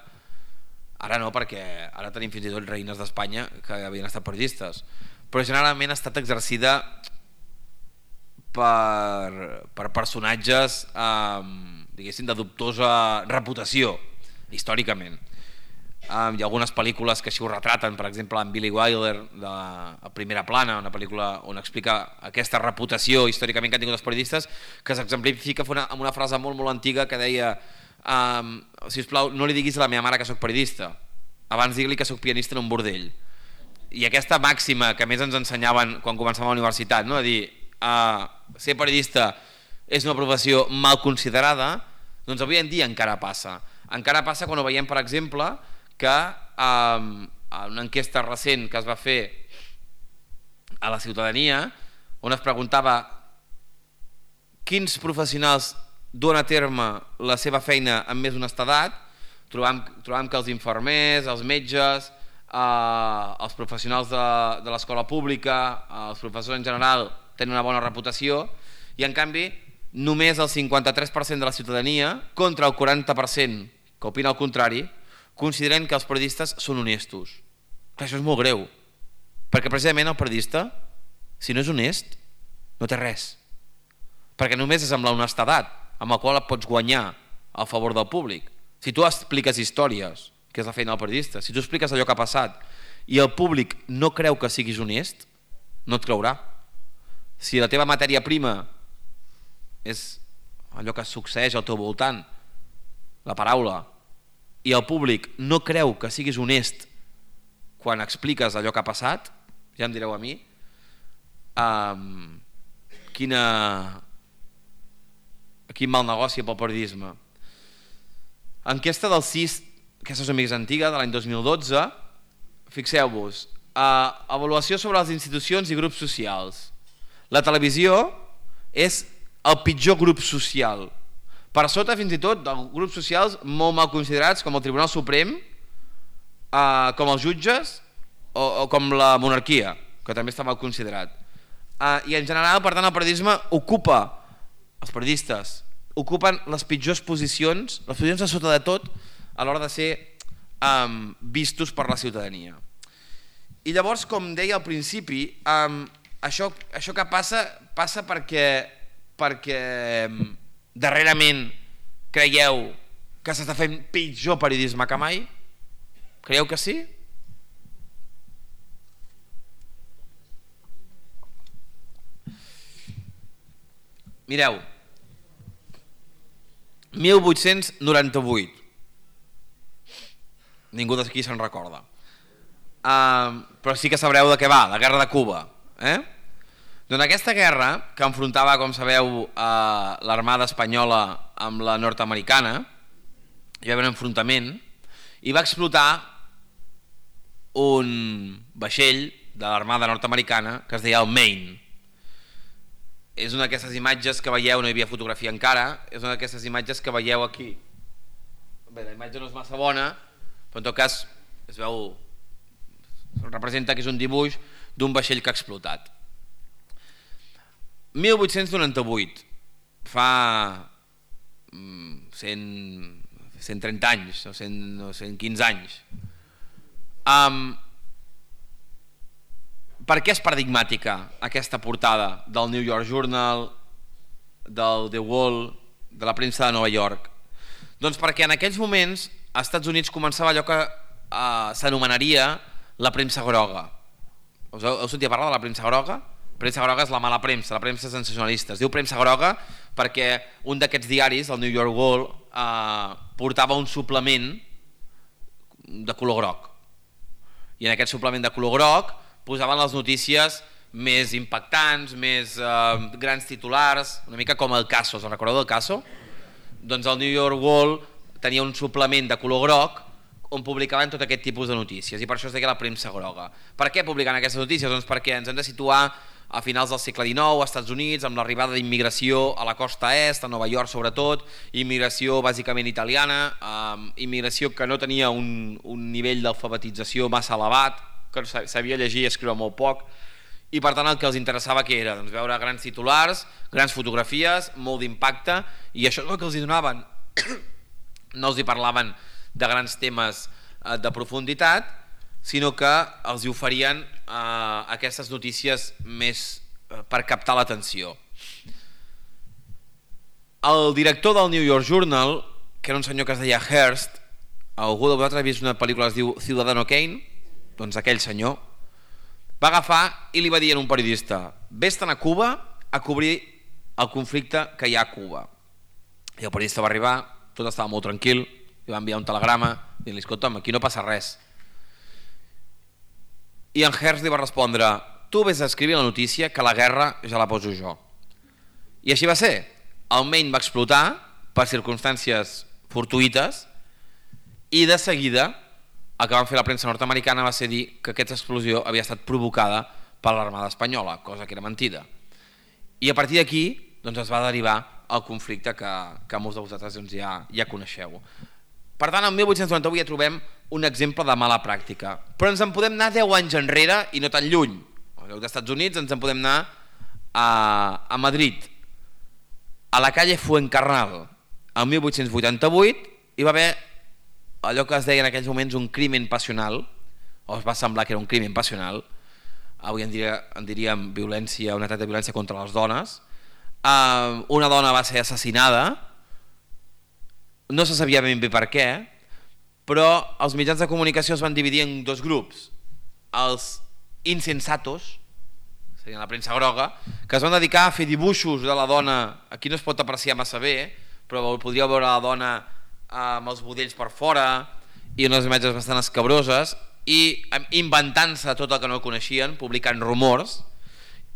[SPEAKER 2] ara no, perquè ara tenim fins i tot reines d'Espanya que havien estat periodistes, però generalment ha estat exercida per, per personatges eh, diguéssim de dubtosa reputació històricament. Um, hi ha algunes pel·lícules que així ho retraten, per exemple en Billy Wilder de A Primera Plana, una pel·lícula on explica aquesta reputació històricament que han tingut els periodistes, que s'exemplifica amb una frase molt molt antiga que deia um, sisplau, no li diguis a la meva mare que sóc periodista, abans digui-li que sóc pianista en un bordell. I aquesta màxima que més ens ensenyaven quan començàvem a la universitat, no? A dir, uh, ser periodista és una professió mal considerada, doncs avui en dia encara passa. Encara passa quan ho veiem, per exemple, que um, en una enquesta recent que es va fer a la ciutadania, on es preguntava quins professionals duen a terme la seva feina amb més honestedat, trobam, trobam que els infermers, els metges, eh, els professionals de, de l'escola pública, eh, els professors en general tenen una bona reputació, i en canvi només el cinquanta-tres per cent de la ciutadania, contra el quaranta per cent que opina el contrari, consideren que els periodistes són honestos. Clar, això és molt greu, perquè precisament el periodista, si no és honest, no té res, perquè només és amb la honestedat amb la qual et pots guanyar a favor del públic. Si tu expliques històries, que és la feina del periodista, si tu expliques allò que ha passat i el públic no creu que siguis honest, no et creurà. Si la teva matèria prima és allò que succeeix al teu voltant, la paraula, i el públic no creu que siguis honest quan expliques allò que ha passat, ja em direu a mi um, quina quin mal negoci pel periodisme. Enquesta del C I S, aquesta és una mica antiga, de l'any dos mil dotze, fixeu-vos, uh, avaluació sobre les institucions i grups socials. La televisió és el pitjor grup social, per sota fins i tot de grups socials molt mal considerats com el Tribunal Suprem, eh, com els jutges o, o com la monarquia, que també està mal considerat. Eh, I en general, per tant, el periodisme ocupa, els periodistes ocupen les pitjors posicions, les posicions a sota de tot, a l'hora de ser eh, vistos per la ciutadania. I llavors, com deia al principi, eh, això, això que passa, passa perquè, perquè darrerament creieu que s'està fent pitjor periodisme que mai? Creieu que sí? Mireu, mil vuit-cents noranta-vuit, ningú d'aquí se'n recorda, uh, però sí que sabreu de què va, la guerra de Cuba, eh? Doncs aquesta guerra, que enfrontava, com sabeu, eh, l'armada espanyola amb la nord-americana, hi va haver un enfrontament i va explotar un vaixell de l'armada nord-americana que es deia el Maine. És una d'aquestes imatges que veieu, no hi havia fotografia encara, és una d'aquestes imatges que veieu aquí. Bé, la imatge no és massa bona, però en tot cas es veu, representa que és un dibuix d'un vaixell que ha explotat. mil vuit-cents noranta-vuit, fa cent, cent trenta anys o cent, o cent quinze anys. Um, per què és paradigmàtica aquesta portada del New York Journal, del The Wall, de la premsa de Nova York? Doncs perquè en aquells moments als Estats Units començava allò que uh, s'anomenaria la premsa groga. Us heu, heu sentit parlar de la premsa groga? Premsa groga és la mala premsa, la premsa sensacionalista. Es diu premsa groga perquè un d'aquests diaris, el New York World, eh, portava un suplement de color groc. I en aquest suplement de color groc posaven les notícies més impactants, més eh, grans titulars, una mica com el Caso. Us en recordeu del Caso? Doncs el New York World tenia un suplement de color groc on publicaven tot aquest tipus de notícies, i per això es deia la premsa groga. Per què publiquen aquestes notícies? Doncs perquè ens hem de situar a finals del segle dinou, als Estats Units, amb l'arribada d'immigració a la costa est, a Nova York sobretot, immigració bàsicament italiana, eh, immigració que no tenia un, un nivell d'alfabetització massa elevat, que sabia llegir i escriure molt poc, i per tant el que els interessava que era doncs, veure grans titulars, grans fotografies, molt d'impacte, i això és el que els hi donaven. No els hi parlaven de grans temes eh, de profunditat, sinó que els hi oferien eh, aquestes notícies més eh, per captar l'atenció. El director del New York Journal, que era un senyor que es deia Hearst, algú de vosaltres ha vist una pel·lícula que es diu Ciudadano Kane? Doncs aquell senyor va agafar i li va dir a un periodista: vés-te'n a Cuba a cobrir el conflicte que hi ha a Cuba. I el periodista va arribar, tot estava molt tranquil, li va enviar un telegrama dient-li: escolta'm, aquí no passa res. I en Hearst li va respondre: tu vés a escriure la notícia, que la guerra ja la poso jo. I així va ser. El Maine va explotar per circumstàncies fortuïtes i de seguida el que van fer la premsa nord-americana va ser dir que aquesta explosió havia estat provocada per l'Armada Espanyola, cosa que era mentida. I a partir d'aquí doncs, es va derivar el conflicte que, que molts de vosaltres doncs, ja, ja coneixeu. Per tant, el mil vuit-cents noranta-vuit ja trobem un exemple de mala pràctica, però ens en podem anar deu anys enrere i no tan lluny. En lloc dels Estats Units ens en podem anar a, a Madrid, a la calle Fuencarral. El mil vuit-cents vuitanta-vuit hi va haver allò que es deia en aquells moments un crimen passional, o es va semblar que era un crimen passional, avui en, diria, en diríem violència, un atac de violència contra les dones. Uh, una dona va ser assassinada, no se sabia ben bé per què, però els mitjans de comunicació es van dividir en dos grups: els insensatos, seria la premsa groga, que es van dedicar a fer dibuixos de la dona, aquí no es pot apreciar massa bé, però podríeu veure la dona amb els budells per fora i unes imatges bastant escabroses, i inventant-se tot el que no coneixien, publicant rumors.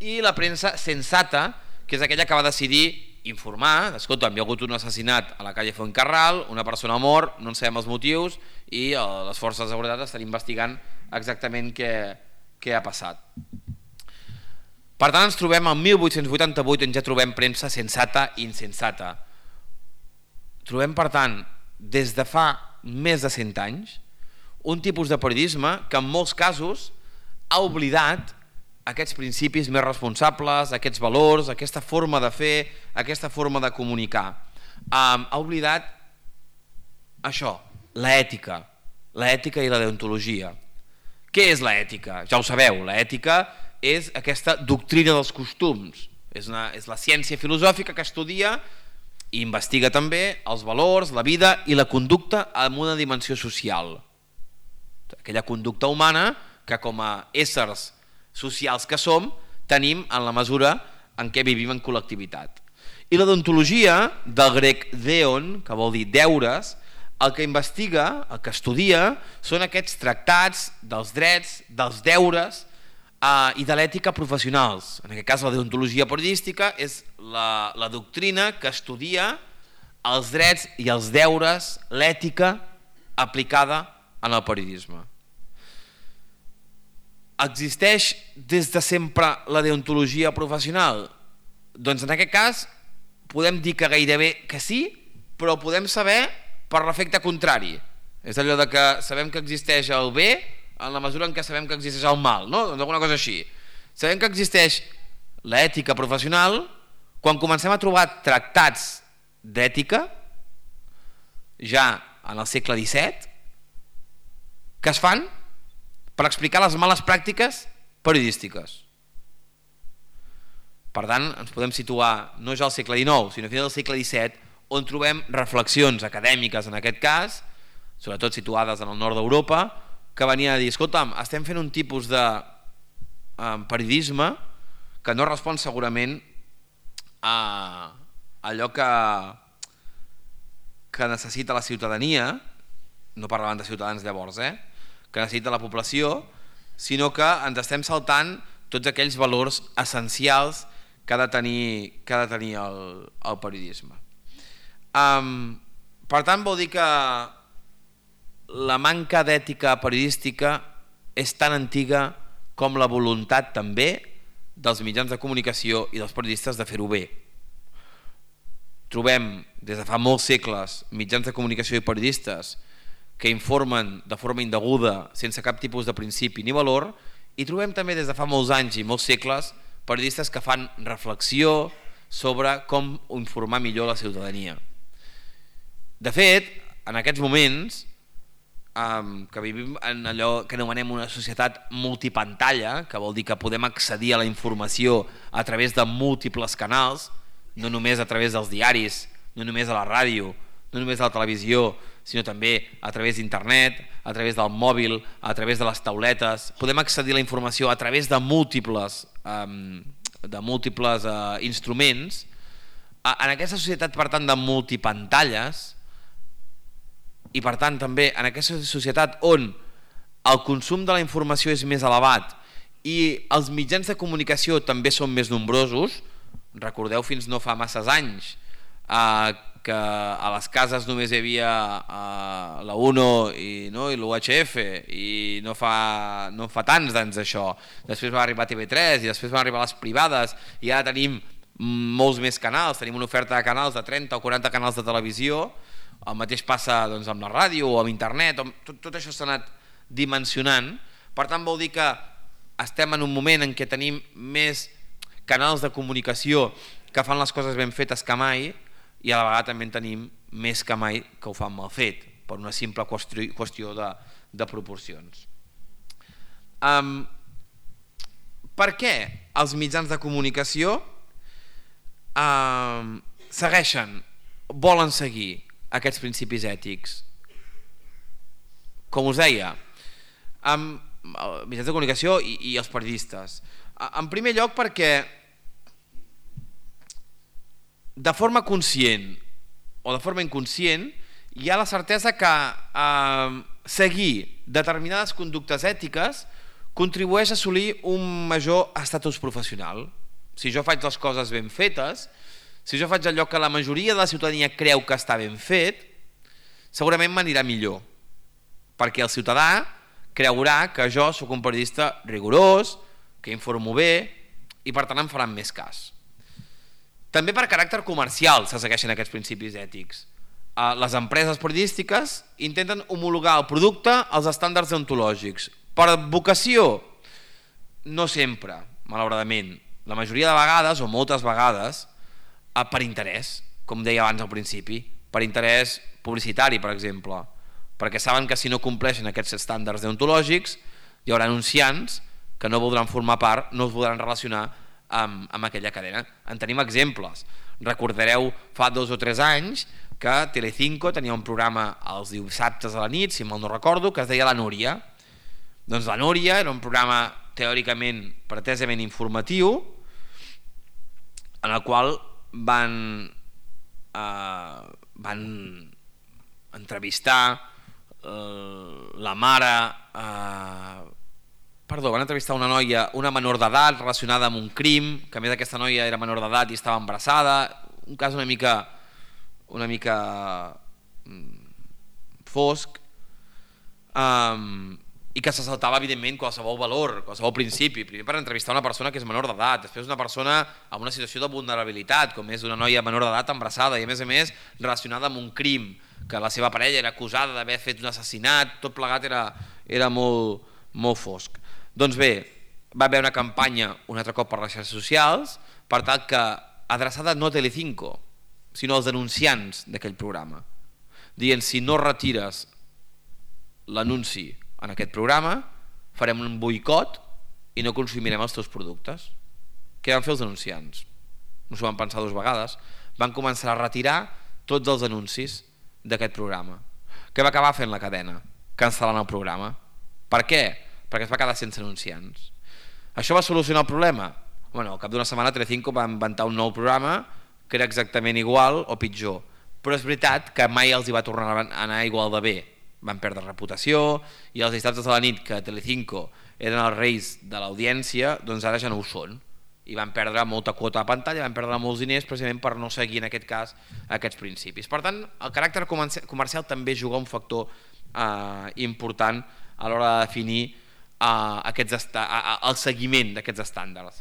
[SPEAKER 2] I la premsa sensata, que és aquella que va decidir informar: escolta, hi ha hagut un assassinat a la calle Fuencarral, una persona mort, no en sabem els motius i les forces de seguretat estan investigant exactament què, què ha passat. Per tant, ens trobem al mil vuit-cents vuitanta-vuit, on ja trobem premsa sensata i insensata. Trobem, per tant, des de fa més de cent anys, un tipus de periodisme que en molts casos ha oblidat aquests principis més responsables, aquests valors, aquesta forma de fer, aquesta forma de comunicar. Um, ha oblidat això, l'ètica, l'ètica i la deontologia. Què és l'ètica? Ja ho sabeu, l'ètica és aquesta doctrina dels costums, és, una, és la ciència filosòfica que estudia i investiga també els valors, la vida i la conducta en una dimensió social. Aquella conducta humana que com a éssers socials que som tenim en la mesura en què vivim en col·lectivitat. I la deontologia, del grec deon, que vol dir deures, el que investiga, el que estudia, són aquests tractats dels drets, dels deures Uh, i de l'ètica professionals. En aquest cas, la deontologia periodística és la, la doctrina que estudia els drets i els deures, l'ètica aplicada en el periodisme. Existeix des de sempre la deontologia professional? Doncs en aquest cas podem dir que gairebé que sí, però podem saber per l'efecte contrari. És allò de que sabem que existeix el bé en la mesura en què sabem que existeix el mal, no? Doncs alguna cosa així. Sabem que existeix l'ètica professional quan comencem a trobar tractats d'ètica, ja en el segle disset, que es fan per explicar les males pràctiques periodístiques. Per tant, ens podem situar no ja al segle dinou, sinó a final del segle disset, on trobem reflexions acadèmiques, en aquest cas, sobretot situades en el nord d'Europa, que venia a dir: escolta'm, estem fent un tipus de eh, periodisme que no respon segurament a allò que, que necessita la ciutadania, no parlaven de ciutadans llavors, eh? que necessita la població, sinó que ens estem saltant tots aquells valors essencials que ha de tenir, que ha de tenir el, el periodisme. Um, per tant, vol dir que la manca d'ètica periodística és tan antiga com la voluntat també dels mitjans de comunicació i dels periodistes de fer-ho bé. Trobem des de fa molts segles mitjans de comunicació i periodistes que informen de forma indeguda, sense cap tipus de principi ni valor, I trobem també des de fa molts anys i molts segles periodistes que fan reflexió sobre com informar millor la ciutadania. De fet, en aquests moments, um, que vivim en allò que anomenem una societat multipantalla, que vol dir que podem accedir a la informació a través de múltiples canals, no només a través dels diaris, no només a la ràdio, no només a la televisió, sinó també a través d'internet, a través del mòbil, a través de les tauletes. Podem accedir a la informació a través de múltiples, um, de múltiples uh, instruments. En aquesta societat, per tant, de multipantalles, i per tant també en aquesta societat on el consum de la informació és més elevat i els mitjans de comunicació també són més nombrosos, recordeu fins no fa masses anys eh, que a les cases només hi havia eh, la UNO i, no, i l'U H F i no fa, no fa tants d'anys això. Després va arribar T V tres i després van arribar les privades i ara tenim molts més canals, tenim una oferta de canals de trenta o quaranta canals de televisió. El mateix passa doncs, amb la ràdio o amb internet, tot, tot això s'ha anat dimensionant. Per tant vol dir que estem en un moment en què tenim més canals de comunicació que fan les coses ben fetes que mai, i a la vegada també en tenim més que mai que ho fan mal fet, per una simple qüestió de, de proporcions. Um, per què els mitjans de comunicació um, segueixen, volen seguir aquests principis ètics? Com us deia, amb mitjans de comunicació i, i els periodistes. En primer lloc perquè de forma conscient o de forma inconscient hi ha la certesa que eh, seguir determinades conductes ètiques contribueix a assolir un major estatus professional. Si jo faig les coses ben fetes, si jo faig allò que la majoria de la ciutadania creu que està ben fet, segurament m'anirà millor, perquè el ciutadà creurà que jo sóc un periodista rigorós, que informo bé i per tant em faran més cas. També per caràcter comercial se segueixen aquests principis ètics. Les empreses periodístiques intenten homologar el producte als estàndards deontològics. Per vocació? No sempre, malauradament. La majoria de vegades, o moltes vegades, per interès, com deia abans al principi, per interès publicitari, per exemple, perquè saben que si no compleixen aquests estàndards deontològics hi haurà anunciants que no voldran formar part, no es voldran relacionar amb, amb aquella cadena. En tenim exemples. Recordareu fa dos o tres anys que Telecinco tenia un programa els dissabtes a la nit, si mal no recordo, que es deia La Núria. Doncs La Núria era un programa teòricament pretesament informatiu en el qual van, eh, van entrevistar eh, la mare eh, Perdó, van entrevistar una noia, una menor d'edat relacionada amb un crim, que a més aquesta noia era menor d'edat i estava embarassada, un cas una mica una mica fosc, um, i que se saltava evidentment qualsevol valor, qualsevol principi. Primer per entrevistar una persona que és menor d'edat, després una persona amb una situació de vulnerabilitat, com és una noia menor d'edat embarassada i a més a més relacionada amb un crim, que la seva parella era acusada d'haver fet un assassinat, tot plegat era, era molt, molt fosc. Doncs bé, va haver una campanya un altre cop per les xarxes socials per tal que adreçada no a Telecinco sinó als denunciants d'aquell programa, dient si no retires l'anunci en aquest programa farem un boicot i no consumirem els teus productes. Què van fer els denunciants? No s'ho van pensar dues vegades, van començar a retirar tots els anuncis d'aquest programa. Què va acabar fent la cadena? Cancel·lant el programa. Per què? Perquè es va quedar sense anunciants. Això va solucionar el problema? Bueno, al cap d'una setmana Telecinco va inventar un nou programa que era exactament igual o pitjor, però és veritat que mai els hi va tornar a anar igual de bé. Van perdre reputació i els dissabtes de la nit que Telecinco eren els reis de l'audiència, doncs ara ja no ho són i van perdre molta quota de pantalla, van perdre molts diners precisament per no seguir en aquest cas aquests principis. Per tant, el caràcter comercial també juga un factor eh, important a l'hora de definir Uh, aquests uh, uh, el seguiment d'aquests estàndards.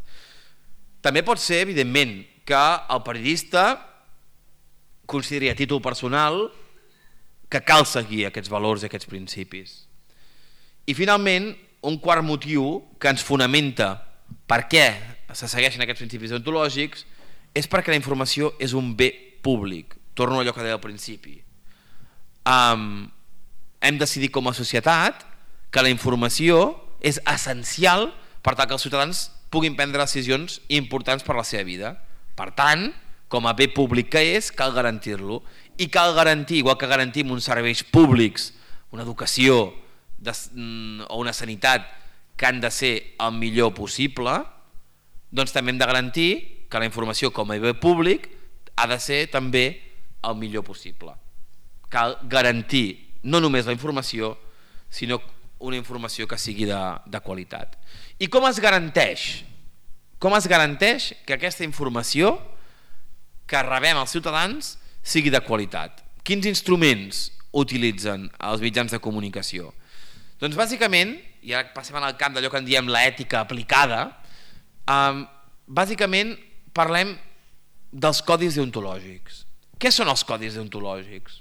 [SPEAKER 2] També pot ser, evidentment, que el periodista consideri a títol personal que cal seguir aquests valors i aquests principis. I finalment, un quart motiu que ens fonamenta per què se segueixen aquests principis deontològics és perquè la informació és un bé públic. Torno a allò que deia al principi. Um, hem decidit com a societat que la informació és essencial per tal que els ciutadans puguin prendre decisions importants per la seva vida. Per tant, com a bé públic que és, cal garantir-lo. I cal garantir, igual que garantim uns serveis públics, una educació de, o una sanitat que han de ser el millor possible, doncs també hem de garantir que la informació com a bé públic ha de ser també el millor possible. Cal garantir no només la informació, sinó una informació que sigui de, de qualitat. I com es garanteix? Com es garanteix que aquesta informació que rebem els ciutadans sigui de qualitat? Quins instruments utilitzen els mitjans de comunicació? Doncs bàsicament, i ara passem al camp d'allò que en diem l'ètica aplicada, eh, bàsicament parlem dels codis deontològics. Què són els codis deontològics?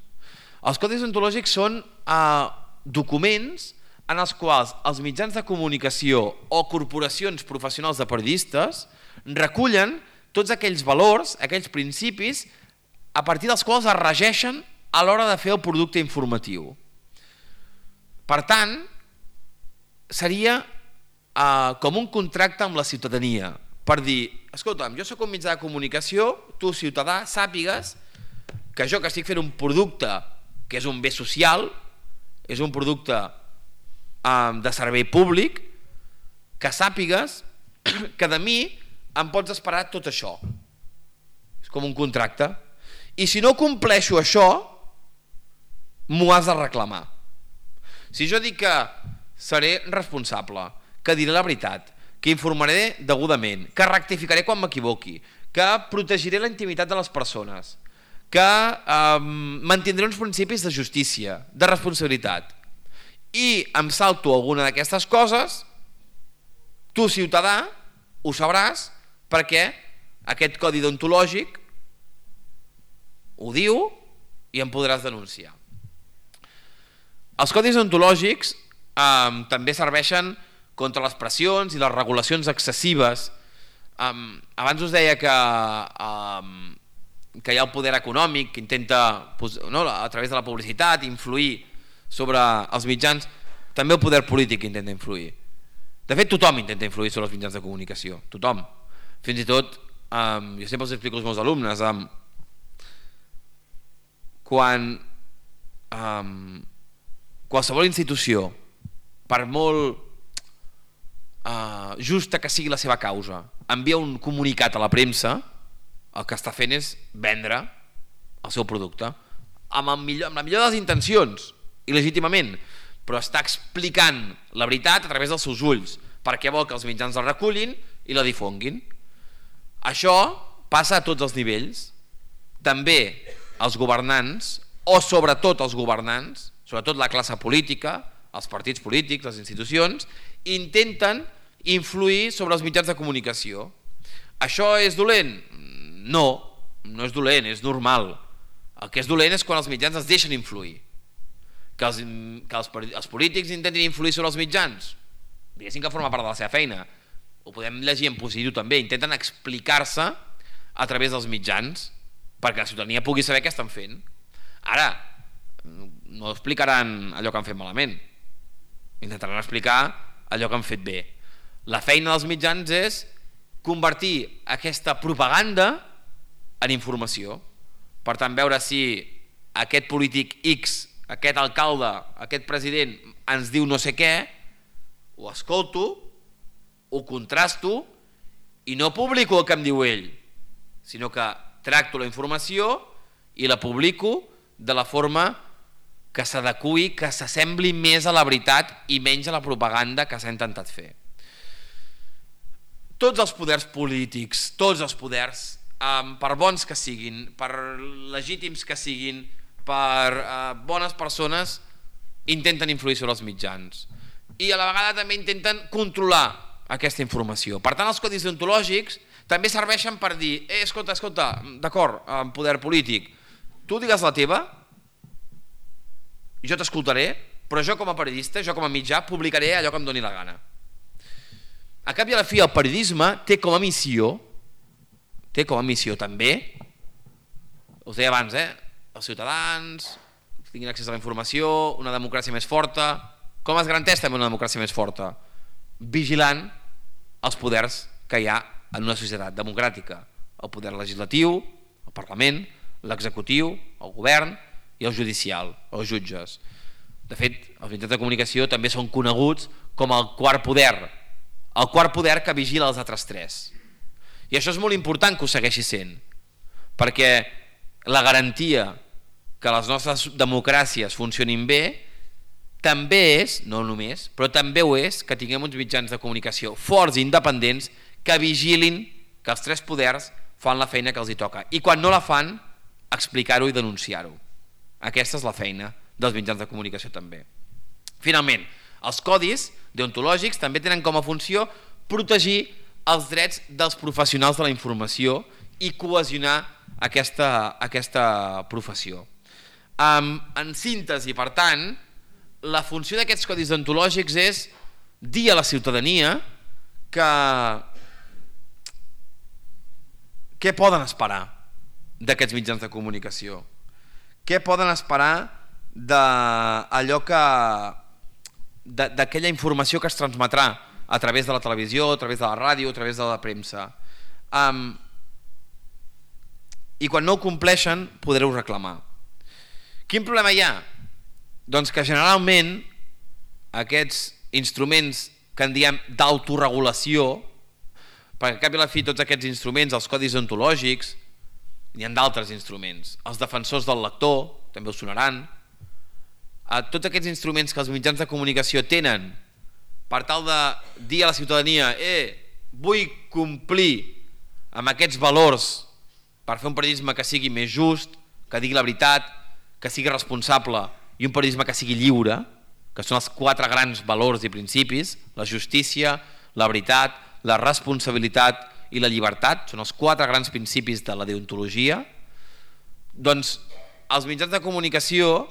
[SPEAKER 2] Els codis deontològics són eh, documents en els quals els mitjans de comunicació o corporacions professionals de periodistes recullen tots aquells valors, aquells principis a partir dels quals es regeixen a l'hora de fer el producte informatiu. Per tant, seria eh, com un contracte amb la ciutadania per dir, escolta'm, jo soc un mitjà de comunicació, tu ciutadà sàpigues que jo que estic fent un producte que és un bé social, és un producte eh, de servei públic, que sàpigues que de mi em pots esperar tot això. És com un contracte. I si no compleixo això, m'ho has de reclamar. Si jo dic que seré responsable, que diré la veritat, que informaré degudament, que rectificaré quan m'equivoqui, que protegiré la intimitat de les persones, que eh, mantindré uns principis de justícia, de responsabilitat, i em salto alguna d'aquestes coses, tu ciutadà ho sabràs perquè aquest codi deontològic ho diu i em podràs denunciar. Els codis deontològics eh, també serveixen contra les pressions i les regulacions excessives. Eh, abans us deia que, eh, que hi ha el poder econòmic que intenta, no, a través de la publicitat, influir sobre els mitjans. També el poder polític intenta influir. De fet, tothom intenta influir sobre els mitjans de comunicació. Tothom. Fins i tot, eh, jo sempre els explico als meus alumnes, eh, quan eh, qualsevol institució, per molt eh, justa que sigui la seva causa, envia un comunicat a la premsa, el que està fent és vendre el seu producte amb, el millor, amb la millor de les intencions i legítimament, però està explicant la veritat a través dels seus ulls perquè vol que els mitjans la recullin i la difonguin. Això passa a tots els nivells, també els governants, o sobretot els governants, sobretot la classe política, els partits polítics, les institucions, intenten influir sobre els mitjans de comunicació. Això és dolent? No, no és dolent, és normal. El que és dolent és quan els mitjans es deixen influir. Que els, que els, els polítics intentin influir sobre els mitjans, diguéssim que forma part de la seva feina. Ho podem llegir en positiu també, intenten explicar-se a través dels mitjans perquè la ciutadania pugui saber què estan fent. Ara, no explicaran allò que han fet malament, intentaran explicar allò que han fet bé. La feina dels mitjans és convertir aquesta propaganda en informació. Per tant, veure si aquest polític X, aquest alcalde, aquest president ens diu no sé què, ho escolto, ho contrasto i no publico el que em diu ell, sinó que tracto la informació i la publico de la forma que s'adeqüi, que s'assembli més a la veritat i menys a la propaganda que s'ha intentat fer. Tots els poders polítics, tots els poders, eh, per bons que siguin, per legítims que siguin, per eh, bones persones, intenten influir sobre els mitjans. I a la vegada també intenten controlar aquesta informació. Per tant, els codis deontològics també serveixen per dir, eh, escolta, escolta, d'acord, en poder polític, tu digues la teva, jo t'escoltaré, però jo com a periodista, jo com a mitjà, publicaré allò que em doni la gana. A cap i a la fi, el periodisme té com a missió, té com a missió també, us deia abans, eh? Els ciutadans tinguin accés a la informació, una democràcia més forta. Com es garanteix també una democràcia més forta? Vigilant els poders que hi ha en una societat democràtica. El poder legislatiu, el Parlament, l'executiu, el govern i el judicial, els jutges. De fet, els mitjans de comunicació també són coneguts com el quart poder, el quart poder que vigila els altres tres. I això és molt important que ho segueixi sent, perquè la garantia que les nostres democràcies funcionin bé també és, no només, però també ho és que tinguem uns mitjans de comunicació forts i independents que vigilin que els tres poders fan la feina que els hi toca. I quan no la fan, explicar-ho i denunciar-ho. Aquesta és la feina dels mitjans de comunicació també. Finalment, els codis deontològics també tenen com a funció protegir els drets dels professionals de la informació i cohesionar aquesta, aquesta professió. Um, en síntesi, per tant, la funció d'aquests codis deontològics és dir a la ciutadania que què poden esperar d'aquests mitjans de comunicació, què poden esperar d'allò que d'aquella informació que es transmetrà a través de la televisió, a través de la ràdio, a través de la premsa. Um, I quan no ho compleixen podreu reclamar. Quin problema hi ha? Doncs que generalment aquests instruments que en diem d'autoregulació, perquè al cap i a la fi tots aquests instruments, els codis deontològics, n'hi ha d'altres instruments, els defensors del lector, també us sonaran, a tots aquests instruments que els mitjans de comunicació tenen per tal de dir a la ciutadania eh, vull complir amb aquests valors per fer un periodisme que sigui més just, que digui la veritat, que sigui responsable i un periodisme que sigui lliure, que són els quatre grans valors i principis, la justícia, la veritat, la responsabilitat i la llibertat, són els quatre grans principis de la deontologia. Doncs els mitjans de comunicació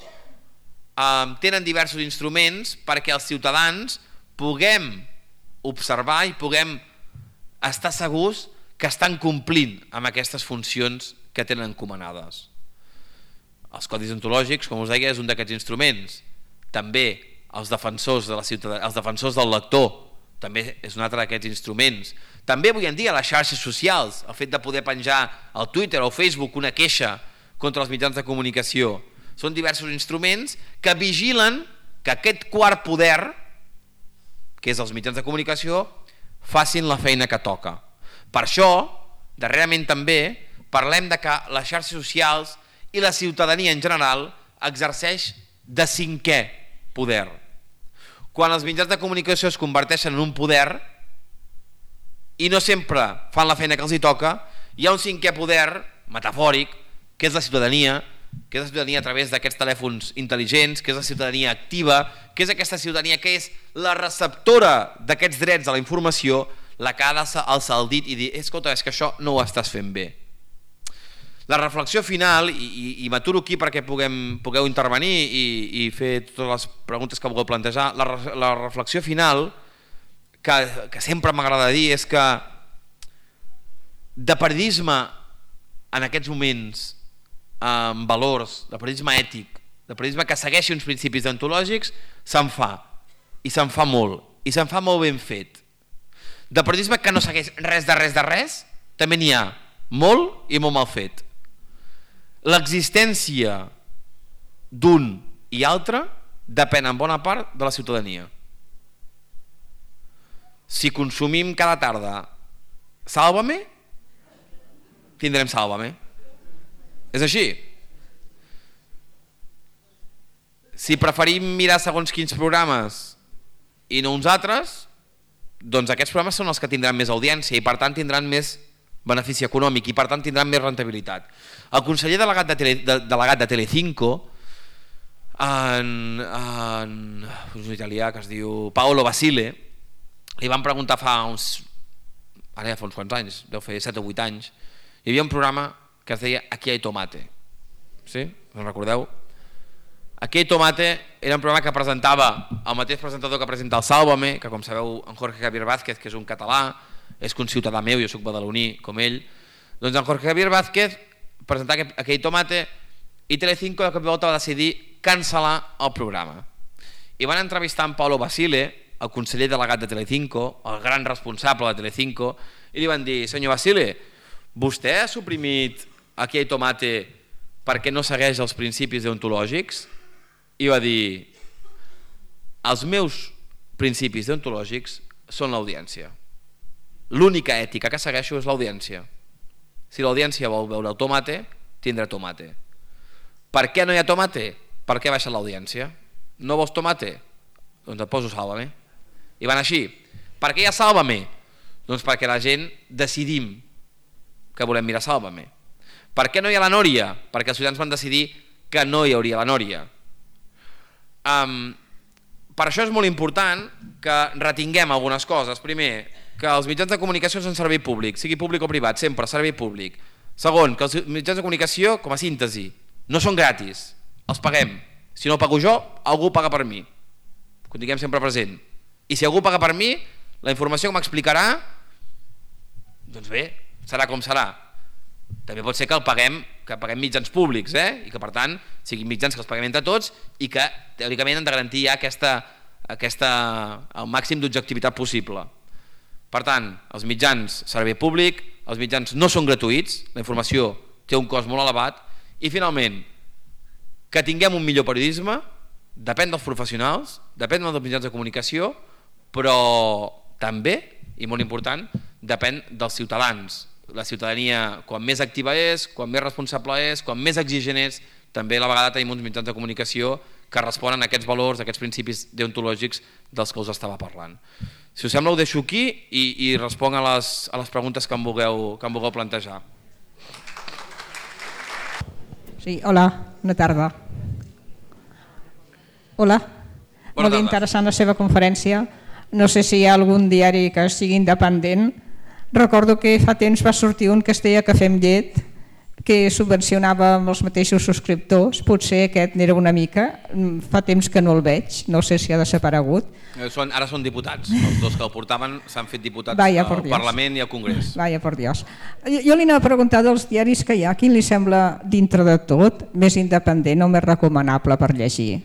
[SPEAKER 2] eh, tenen diversos instruments perquè els ciutadans puguem observar i puguem estar segurs que estan complint amb aquestes funcions que tenen encomanades. Els codis deontològics, com us deia, és un d'aquests instruments. També els defensors de la ciutadania, els defensors del lector, també és un altre d'aquests instruments. També avui en dia les xarxes socials, el fet de poder penjar al Twitter o al Facebook una queixa contra els mitjans de comunicació, són diversos instruments que vigilen que aquest quart poder, que és els mitjans de comunicació, facin la feina que toca. Per això, darrerament també, parlem de que les xarxes socials i la ciutadania en general exerceix de cinquè poder. Quan els mitjans de comunicació es converteixen en un poder i no sempre fan la feina que els hi toca, hi ha un cinquè poder metafòric, que és la ciutadania, que és la ciutadania a través d'aquests telèfons intel·ligents, que és la ciutadania activa, que és aquesta ciutadania que és la receptora d'aquests drets a la informació, la que ha d'alçar el dit i dir escolta, és que això no ho estàs fent bé. La reflexió final, i, i, i m'aturo aquí perquè puguem, pugueu intervenir i, i fer totes les preguntes que vulgueu plantejar, la, la reflexió final que, que sempre m'agrada dir és que de periodisme en aquests moments amb valors, de periodisme ètic, de periodisme que segueixi uns principis deontològics, se'n fa, i se'n fa molt, i se'n fa molt ben fet. De periodisme que no segueix res de res de res, també n'hi ha molt i molt mal fet. L'existència d'un i altre depèn en bona part de la ciutadania. Si consumim cada tarda Sálvame, tindrem Sálvame. És així. Si preferim mirar segons quins programes i no uns altres, doncs aquests programes són els que tindran més audiència i per tant tindran més benefici econòmic i per tant tindran més rentabilitat. El conseller delegat de, Tele, de, delegat de Telecinco, en, en un italià que es diu Paolo Basile, li van preguntar fa uns, ara ja fa uns quants anys, deu fer set o vuit anys, hi havia un programa que es deia Aquí hay tomate. Sí? Us en recordeu? Aquell Tomate era un programa que presentava el mateix presentador que presenta el Sálvame, que com sabeu en Jorge Javier Vázquez, que és un català, és conciutadà meu, jo soc badaloní com ell, doncs en Jorge Javier Vázquez presentava aquell Tomate i Telecinco de cop i volta va decidir cancel·lar el programa. I van entrevistar en Paulo Basile, el conseller delegat de Telecinco, el gran responsable de Telecinco, i li van dir: senyor Basile, vostè ha suprimit aquell Tomate perquè no segueix els principis deontològics? I va dir: els meus principis deontològics són l'audiència. L'única ètica que segueixo és l'audiència. Si l'audiència vol veure el tomate, tindrà tomate. Per què no hi ha tomate? Per què baixa l'audiència? No vols tomate? Doncs et poso Sálvame. I van així. Per què hi ha Sálvame? Doncs perquè la gent decidim que volem mirar Sálvame. Per què no hi ha la Nòria? Perquè els ciutadans van decidir que no hi hauria la Nòria. Um, per això és molt important que retinguem algunes coses. Primer, que els mitjans de comunicació són servei públic, sigui públic o privat, sempre servei públic. Segon, que els mitjans de comunicació, com a síntesi, no són gratis, els paguem. Si no pago jo, algú paga per mi. Ho tinguem sempre present. I si algú paga per mi, la informació que m'explicarà, doncs bé, serà com serà. També pot ser que el paguem, que paguem mitjans públics, eh? I que per tant siguin mitjans que els paguem entre tots i que teòricament han de garantir ja aquesta, aquesta, el màxim d'objectivitat possible. Per tant, els mitjans servei públic, els mitjans no són gratuïts, la informació té un cost molt elevat i finalment que tinguem un millor periodisme depèn dels professionals, depèn dels mitjans de comunicació, però també, i molt important, depèn dels ciutadans. La ciutadania, quan més activa és, quan més responsable és, quan més exigent és, també a la vegada tenim uns mitjans de comunicació que responen a aquests valors, a aquests principis deontològics dels que us estava parlant. Si us sembla ho deixo aquí i, i responc a les, a les preguntes que em vulgueu, que em vulgueu plantejar.
[SPEAKER 3] Sí, hola, bona tarda. Hola, bona molt tarda. Interessant la seva conferència. No sé si hi ha algun diari que sigui independent. Recordo que fa temps va sortir un que es deia Cafè amb llet, que subvencionava amb els mateixos subscriptors. Potser aquest n'era una mica. Fa temps que no el veig, no sé si ha desaparegut.
[SPEAKER 2] Són, ara són diputats, els dos que el portaven s'han fet diputats
[SPEAKER 3] Vaya,
[SPEAKER 2] al Parlament i al Congrés.
[SPEAKER 3] Vaya, por Dios. Jo, jo li anava a preguntar dels diaris que hi ha, quin li sembla dintre de tot més independent o més recomanable per llegir?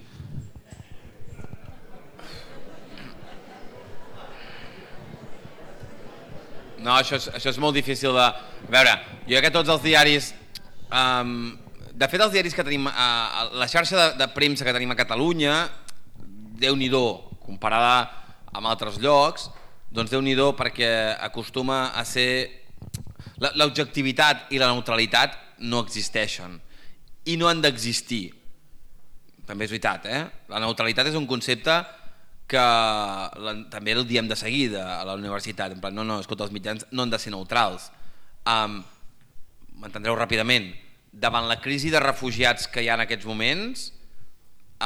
[SPEAKER 2] No, això és, això és molt difícil de... A veure, jo crec que tots els diaris... Um, de fet, els diaris que tenim... Uh, la xarxa de, de premsa que tenim a Catalunya, Déu-n'hi-do, comparada amb altres llocs, doncs Déu-n'hi-do perquè acostuma a ser... L'objectivitat i la neutralitat no existeixen i no han d'existir. També és veritat, eh? La neutralitat és un concepte que la, també el diem de seguida a la universitat, en plan, no, no, escolta, els mitjans no han de ser neutrals. Um, M'entendreu ràpidament, davant la crisi de refugiats que hi ha en aquests moments,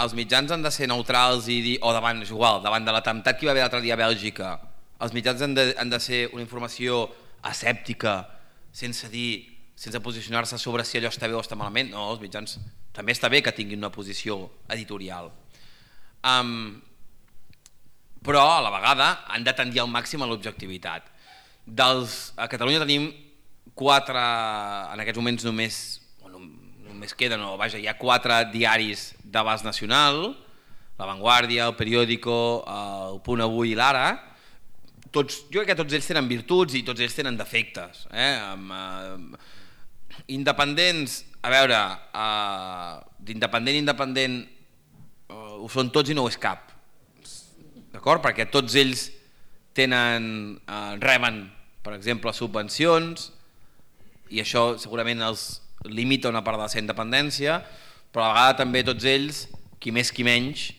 [SPEAKER 2] els mitjans han de ser neutrals i dir, o davant, és igual, davant de l'atemptat que hi va haver l'altre dia a Bèlgica, els mitjans han de, han de ser una informació escèptica, sense dir, sense posicionar-se sobre si allò està bé o està malament. No, els mitjans també està bé que tinguin una posició editorial. Um, però a la vegada han de tendir al màxim a l'objectivitat. A Catalunya tenim quatre, en aquests moments només, només queden, o vaja, hi ha quatre diaris d'abast nacional, La Vanguardia, El Periódico, El Punt Avui i l'Ara. Tots, jo crec que tots ells tenen virtuts i tots ells tenen defectes. Eh? Amb, eh, independents, a veure, eh, d'independent a independent eh, ho són tots i no ho és cap. D'acord? Perquè tots ells tenen, eh, reben, per exemple, subvencions i això segurament els limita una part de la seva independència, però a la vegada també tots ells, qui més qui menys,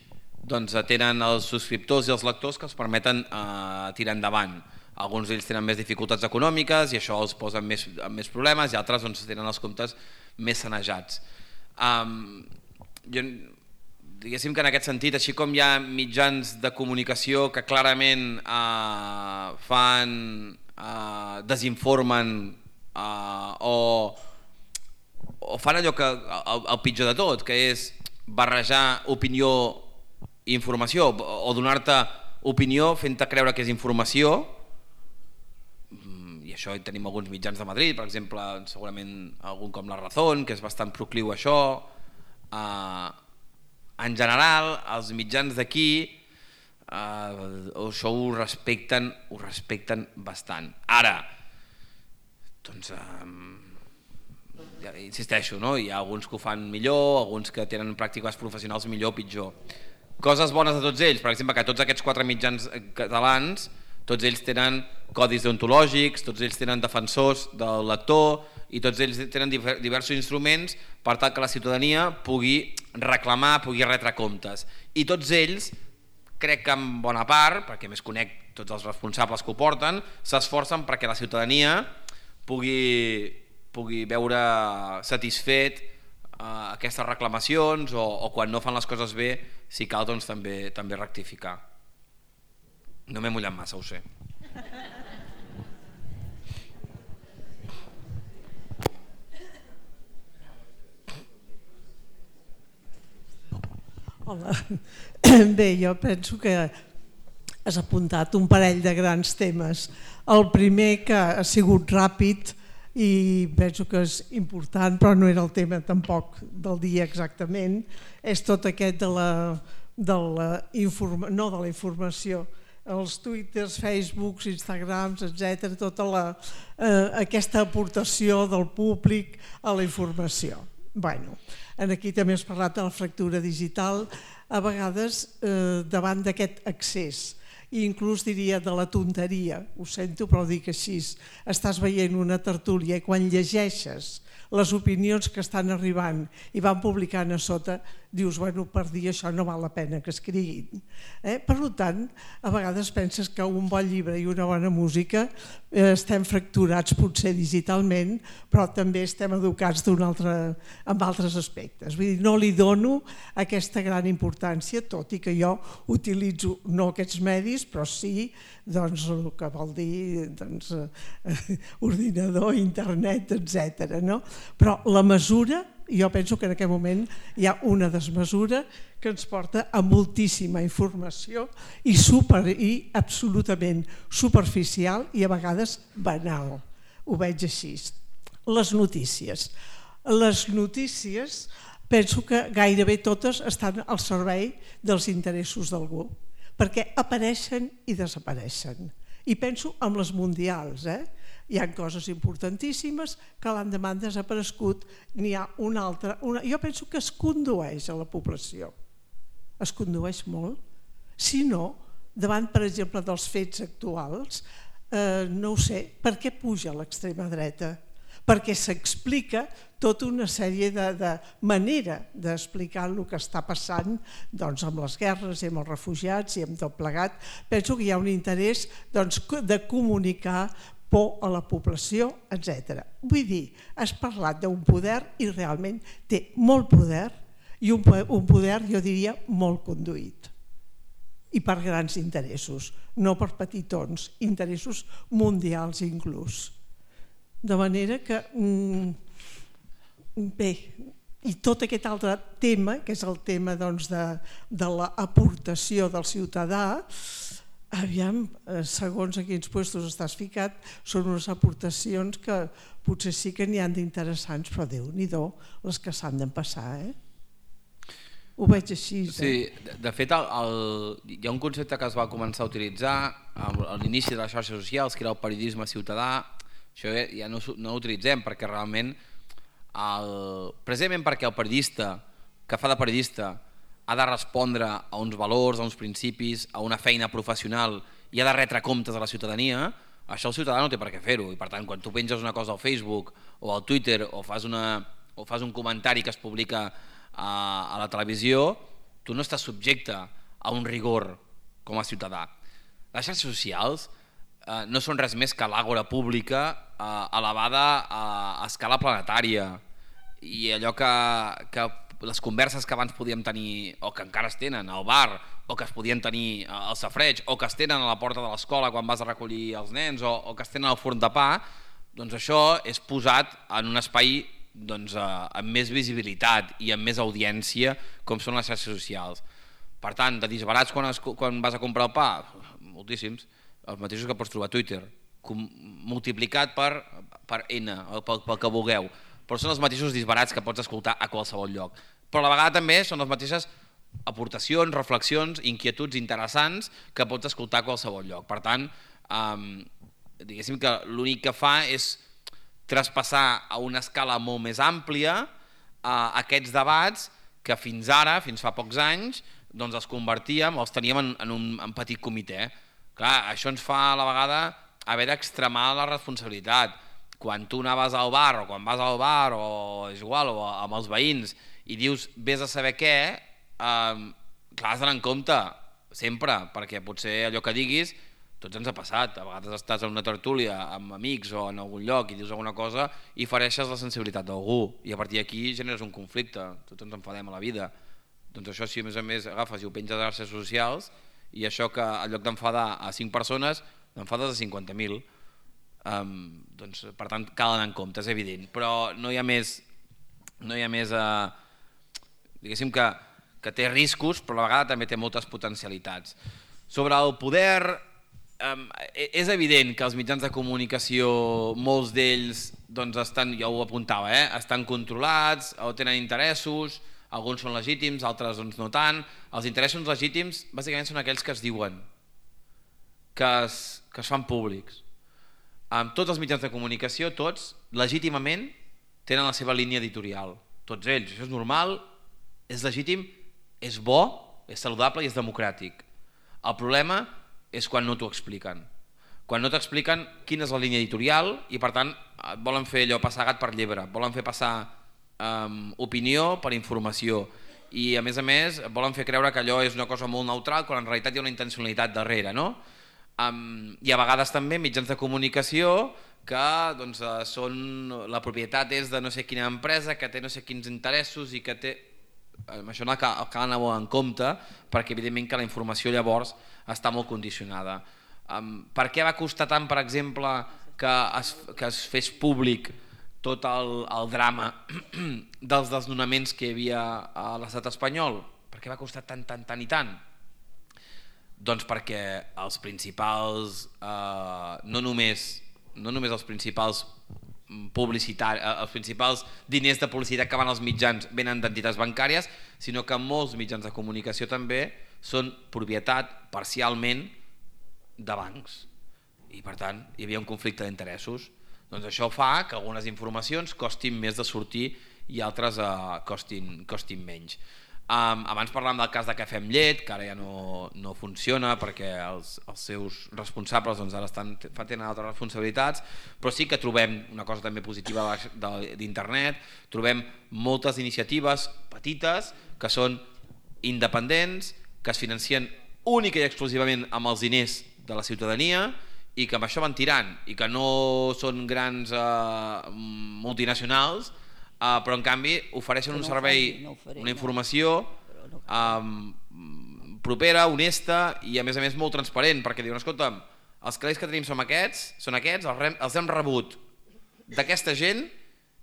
[SPEAKER 2] doncs tenen els subscriptors i els lectors que els permeten eh, tirar endavant. Alguns d'ells tenen més dificultats econòmiques i això els posa en més, en més problemes i altres doncs, tenen els comptes més sanejats. Um, jo, diguéssim que en aquest sentit, així com hi ha mitjans de comunicació que clarament eh, fan, eh, desinformen eh, o, o fan allò que el, el pitjor de tot, que és barrejar opinió i informació o donar-te opinió fent-te creure que és informació, i això tenim alguns mitjans de Madrid, per exemple, segurament algun com La Razón, que és bastant procliu a això. En general, els mitjans d'aquí això ho respecten, ho respecten bastant. Ara, doncs, ja insisteixo, no? Hi ha alguns que ho fan millor, alguns que tenen pràctiques professionals millor o pitjor. Coses bones de tots ells, per exemple, que tots aquests quatre mitjans catalans, tots ells tenen codis deontològics, tots ells tenen defensors del lector i tots ells tenen diversos instruments per tal que la ciutadania pugui reclamar, pugui retre comptes. I tots ells, crec que en bona part, perquè més conec tots els responsables que ho porten, s'esforcen perquè la ciutadania pugui, pugui veure satisfet uh, aquestes reclamacions o, o quan no fan les coses bé, si cal, doncs també, també rectificar. No m'he mullat massa, ho sé.
[SPEAKER 4] Hola. Bé, jo penso que has apuntat un parell de grans temes. El primer, que ha sigut ràpid i penso que és important, però no era el tema tampoc del dia exactament, és tot aquest de la, de la, informa, no de la informació, els twitters, facebooks, instagrams, etcètera, tota la, eh, aquesta aportació del públic a la informació. Bueno, aquí també has parlat de la fractura digital, a vegades eh, davant d'aquest accés, i inclús diria de la tonteria, ho sento però ho dic així, estàs veient una tertúlia i quan llegeixes les opinions que estan arribant i van publicant a sota, dius, bueno, per dir això no val la pena que escriguin. Eh? Per tant, a vegades penses que un bon llibre i una bona música eh, estem fracturats potser digitalment, però també estem educats d'un altre, en altres aspectes. Vull dir, no li dono aquesta gran importància, tot i que jo utilitzo no aquests medis, però sí doncs, el que vol dir doncs, eh, ordinador, internet, etcètera. No? Però la mesura, jo penso que en aquest moment hi ha una desmesura que ens porta a moltíssima informació i, super, i absolutament superficial i a vegades banal. Ho veig així. Les notícies. Les notícies penso que gairebé totes estan al servei dels interessos d'algú, perquè apareixen i desapareixen. I penso en les mundials, eh? Hi ha coses importantíssimes que l'endemà han desaparegut, n'hi ha una altra. Una... Jo penso que es condueix a la població, es condueix molt. Si no, davant, per exemple, dels fets actuals, eh, no ho sé, per què puja l'extrema dreta? Perquè s'explica tota una sèrie de, de manera d'explicar el que està passant doncs, amb les guerres i amb els refugiats i amb tot plegat. Penso que hi ha un interès doncs, de comunicar por a la població, etcètera. Vull dir, has parlat d'un poder i realment té molt poder i un poder, jo diria, molt conduït. I per grans interessos, no per petitons, interessos mundials inclús. De manera que, bé, i tot aquest altre tema, que és el tema doncs, de, de l'aportació del ciutadà, aviam, segons a quins puestos estàs ficat, són unes aportacions que potser sí que n'hi han d'interessants, però Déu-n'hi-do les que s'han d'empassar, eh? Ho veig així. Eh?
[SPEAKER 2] Sí, de, de fet, el, el, hi ha un concepte que es va començar a utilitzar a l'inici de les xarxes socials, que era el periodisme ciutadà. Això ja no, no l'utilitzem perquè realment, el, precisament perquè el periodista que fa de periodista ha de respondre a uns valors, a uns principis, a una feina professional i ha de retre comptes a la ciutadania, això el ciutadà no té per què fer-ho. I per tant, quan tu penges una cosa al Facebook o al Twitter o fas, una, o fas un comentari que es publica a, a la televisió, tu no estàs subjecte a un rigor com a ciutadà. Les xarxes socials eh, no són res més que l'àgora pública eh, elevada a, a escala planetària i allò que, que les converses que abans podíem tenir o que encara es tenen al bar o que es podien tenir al safareig o que es tenen a la porta de l'escola quan vas a recollir els nens o, o que es tenen al forn de pa, doncs això és posat en un espai doncs, amb més visibilitat i amb més audiència com són les xarxes socials. Per tant, de disbarats quan, es, quan vas a comprar el pa, moltíssims, els mateixos que pots trobar a Twitter, com, multiplicat per, per N, pel, pel que vulgueu, però són els mateixos disbarats que pots escoltar a qualsevol lloc. Però a la vegada també són les mateixes aportacions, reflexions, inquietuds interessants que pots escoltar a qualsevol lloc. Per tant, eh, diguéssim que l'únic que fa és traspassar a una escala molt més àmplia eh, aquests debats que fins ara, fins fa pocs anys, doncs els convertíem, els teníem en, en un en petit comitè. Clar, això ens fa a la vegada haver d'extremar la responsabilitat. Quan tu anaves al bar o quan vas al bar o és igual, o amb els veïns i dius vés a saber què, eh, clar, has d'anar en compte sempre, perquè potser allò que diguis tots ens ha passat, a vegades estàs en una tertúlia amb amics o en algun lloc i dius alguna cosa i fereixes la sensibilitat d'algú i a partir d'aquí generes un conflicte, tots ens enfadem a la vida. Doncs això, si a més a més agafes i ho penges a les xarxes socials i això que en lloc d'enfadar a cinc persones n'enfades a cinquanta mil, um, doncs per tant cal anar en compte, és evident, però no hi ha més, no hi ha més uh, diguéssim que, que té riscos, però a la vegada també té moltes potencialitats. Sobre el poder, Um, és evident que els mitjans de comunicació, molts d'ells doncs estan, ja ho apuntava, eh, estan controlats o tenen interessos, alguns són legítims, altres doncs no tant. Els interessos legítims bàsicament són aquells que es diuen, que es, que es fan públics. Um, tots els mitjans de comunicació, tots, legítimament, tenen la seva línia editorial. Tots ells, això és normal, és legítim, és bo, és saludable i és democràtic. El problema és quan no t'ho expliquen. Quan no t'expliquen quina és la línia editorial i per tant volen fer allò passar gat per llebre, volen fer passar um, opinió per informació i a més a més volen fer creure que allò és una cosa molt neutral quan en realitat hi ha una intencionalitat darrere, no? Um, I a vegades també mitjans de comunicació que doncs, són, la propietat és de no sé quina empresa, que té no sé quins interessos i que té... Això cal, cal anar en compte perquè evidentment que la informació llavors està molt condicionada. Um, per què va costar tant, per exemple, que es, que es fes públic tot el, el drama dels desnonaments que hi havia a l'estat espanyol? Per què va costar tant, tant, tant i tant? Doncs perquè els principals, eh, no només, no només els principals publicitat, els principals diners de publicitat que van als mitjans venen d'entitats bancàries, sinó que molts mitjans de comunicació també són propietat parcialment de bancs i per tant hi havia un conflicte d'interessos. Doncs això fa que algunes informacions costin més de sortir i altres eh, costin, costin menys. Um, abans parlàvem del cas de Cafè amb Llet, que ara ja no, no funciona perquè els, els seus responsables doncs, ara estan, tenen altres responsabilitats, però sí que trobem una cosa també positiva d'internet, trobem moltes iniciatives petites que són independents, que es financien única i exclusivament amb els diners de la ciutadania i que amb això van tirant i que no són grans eh, multinacionals, Uh, però en canvi ofereixen un servei, no faré, una informació no. um, propera, honesta i a més a més molt transparent, perquè diuen, escolta'm, els calés que tenim són aquests, són aquests, els, rem, els hem rebut d'aquesta gent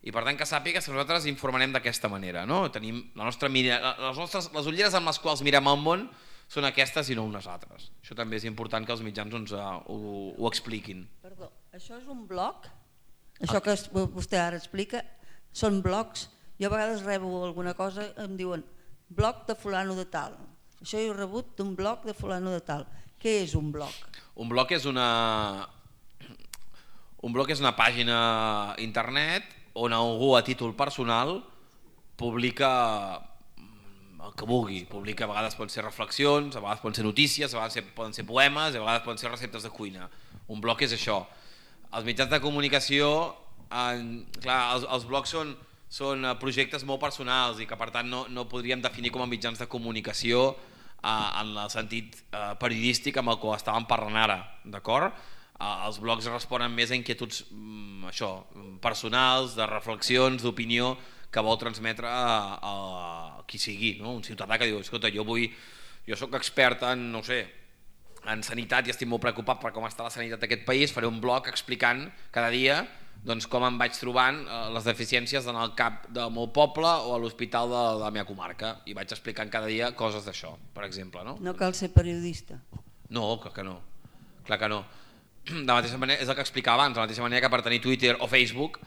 [SPEAKER 2] i per tant que sàpigues que nosaltres informarem d'aquesta manera, no? Tenim la nostra mira, les, nostres, les ulleres amb les quals mirem el món són aquestes i no unes altres. Això també és important que els mitjans doncs, uh, ho, ho expliquin.
[SPEAKER 5] Perdó, això és un blog? Això que vostè ara explica són blogs? Jo a vegades rebo alguna cosa, em diuen blog de fulano de tal. Això jo he rebut d'un blog de fulano de tal. Què és un blog? Un blog és una,
[SPEAKER 2] un blog és una pàgina internet on algú a títol personal publica el que vulgui. Publica, a vegades poden ser reflexions, a vegades poden ser notícies, a vegades poden ser poemes, a vegades poden ser receptes de cuina. Un blog és això. Els mitjans de comunicació, en, clar, els, els blogs són, són projectes molt personals i que per tant no, no podríem definir com a mitjans de comunicació eh, en el sentit eh, periodístic amb el que estàvem parlant ara, d'acord? Eh, els blogs responen més a inquietuds mm, això, personals, de reflexions, d'opinió que vol transmetre a, a, a qui sigui, no? Un ciutadà que diu, escolta, jo vull, jo soc expert en, no sé, en sanitat i estic molt preocupat per com està la sanitat d'aquest país, faré un blog explicant cada dia doncs com em vaig trobant les deficiències en el cap del meu poble o a l'hospital de la meva comarca, i vaig explicant cada dia coses d'això, per exemple. No,
[SPEAKER 5] no cal ser periodista.
[SPEAKER 2] No, clar que no. Clar que no. De la mateixa manera, és el que explicava abans, de la mateixa manera que per tenir Twitter o Facebook,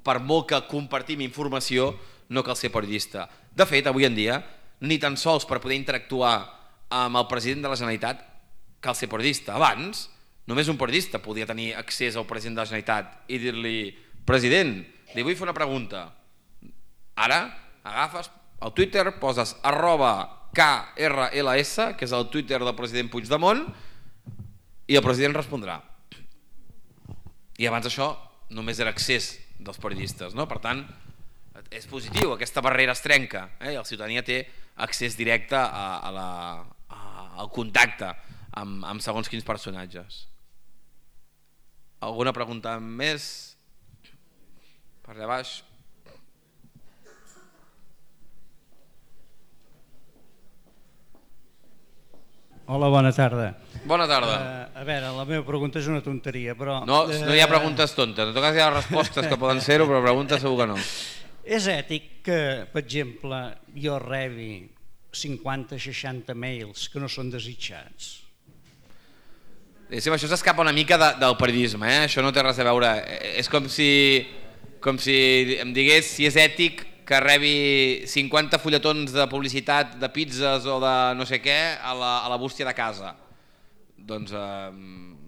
[SPEAKER 2] per molt que compartim informació, no cal ser periodista. De fet, avui en dia, ni tan sols per poder interactuar amb el president de la Generalitat cal ser periodista. Abans, només un periodista podia tenir accés al president de la Generalitat i dir-li: president, li vull fer una pregunta. Ara agafes el Twitter, poses arroba K R L S, que és el Twitter del president Puigdemont, i el president respondrà. I abans això només era accés dels periodistes, no? Per tant, és positiu, aquesta barrera es trenca, eh? I la ciutadania té accés directe a, a la, a, al contacte amb, amb segons quins personatges. Alguna pregunta més? Per allà baix.
[SPEAKER 6] Hola, bona tarda.
[SPEAKER 2] Bona tarda.
[SPEAKER 6] Uh, a veure, la meva pregunta és una tonteria, però...
[SPEAKER 2] No, no hi ha preguntes tontes. En tot cas hi ha respostes que poden ser-ho, però preguntes segur que no.
[SPEAKER 6] És ètic que, per exemple, jo rebi cinquanta seixanta mails que no són desitjats?
[SPEAKER 2] Sí, això s'escapa una mica de, del periodisme, eh? Això no té res a veure. És com si, com si em digués si és ètic que rebi cinquanta fulletons de publicitat de pizzas o de no sé què a la, a la bústia de casa. Doncs eh,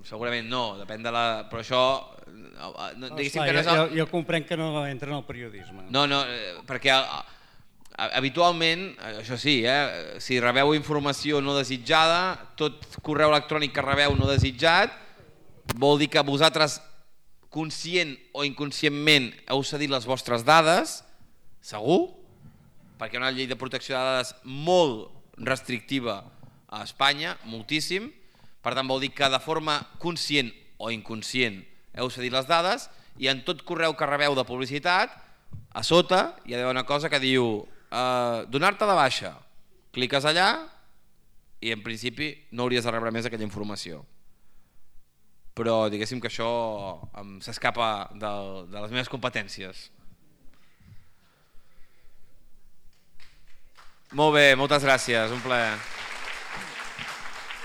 [SPEAKER 2] segurament no, depèn de la... Però això... No,
[SPEAKER 6] oh, esclar, que no és el... jo, jo comprenc que no entra en el periodisme.
[SPEAKER 2] No, no, perquè habitualment, això sí, eh, si rebeu informació no desitjada, tot correu electrònic que rebeu no desitjat, vol dir que vosaltres, conscient o inconscientment, heu cedit les vostres dades, segur, perquè hi ha una llei de protecció de dades molt restrictiva a Espanya, moltíssim, per tant vol dir que de forma conscient o inconscient heu cedit les dades, i en tot correu que rebeu de publicitat, a sota hi ha una cosa que diu eh, donar-te de baixa, cliques allà i en principi no hauries de rebre més aquella informació. Però diguéssim que això s'escapa de, de les meves competències. Molt bé, moltes gràcies, un plaer.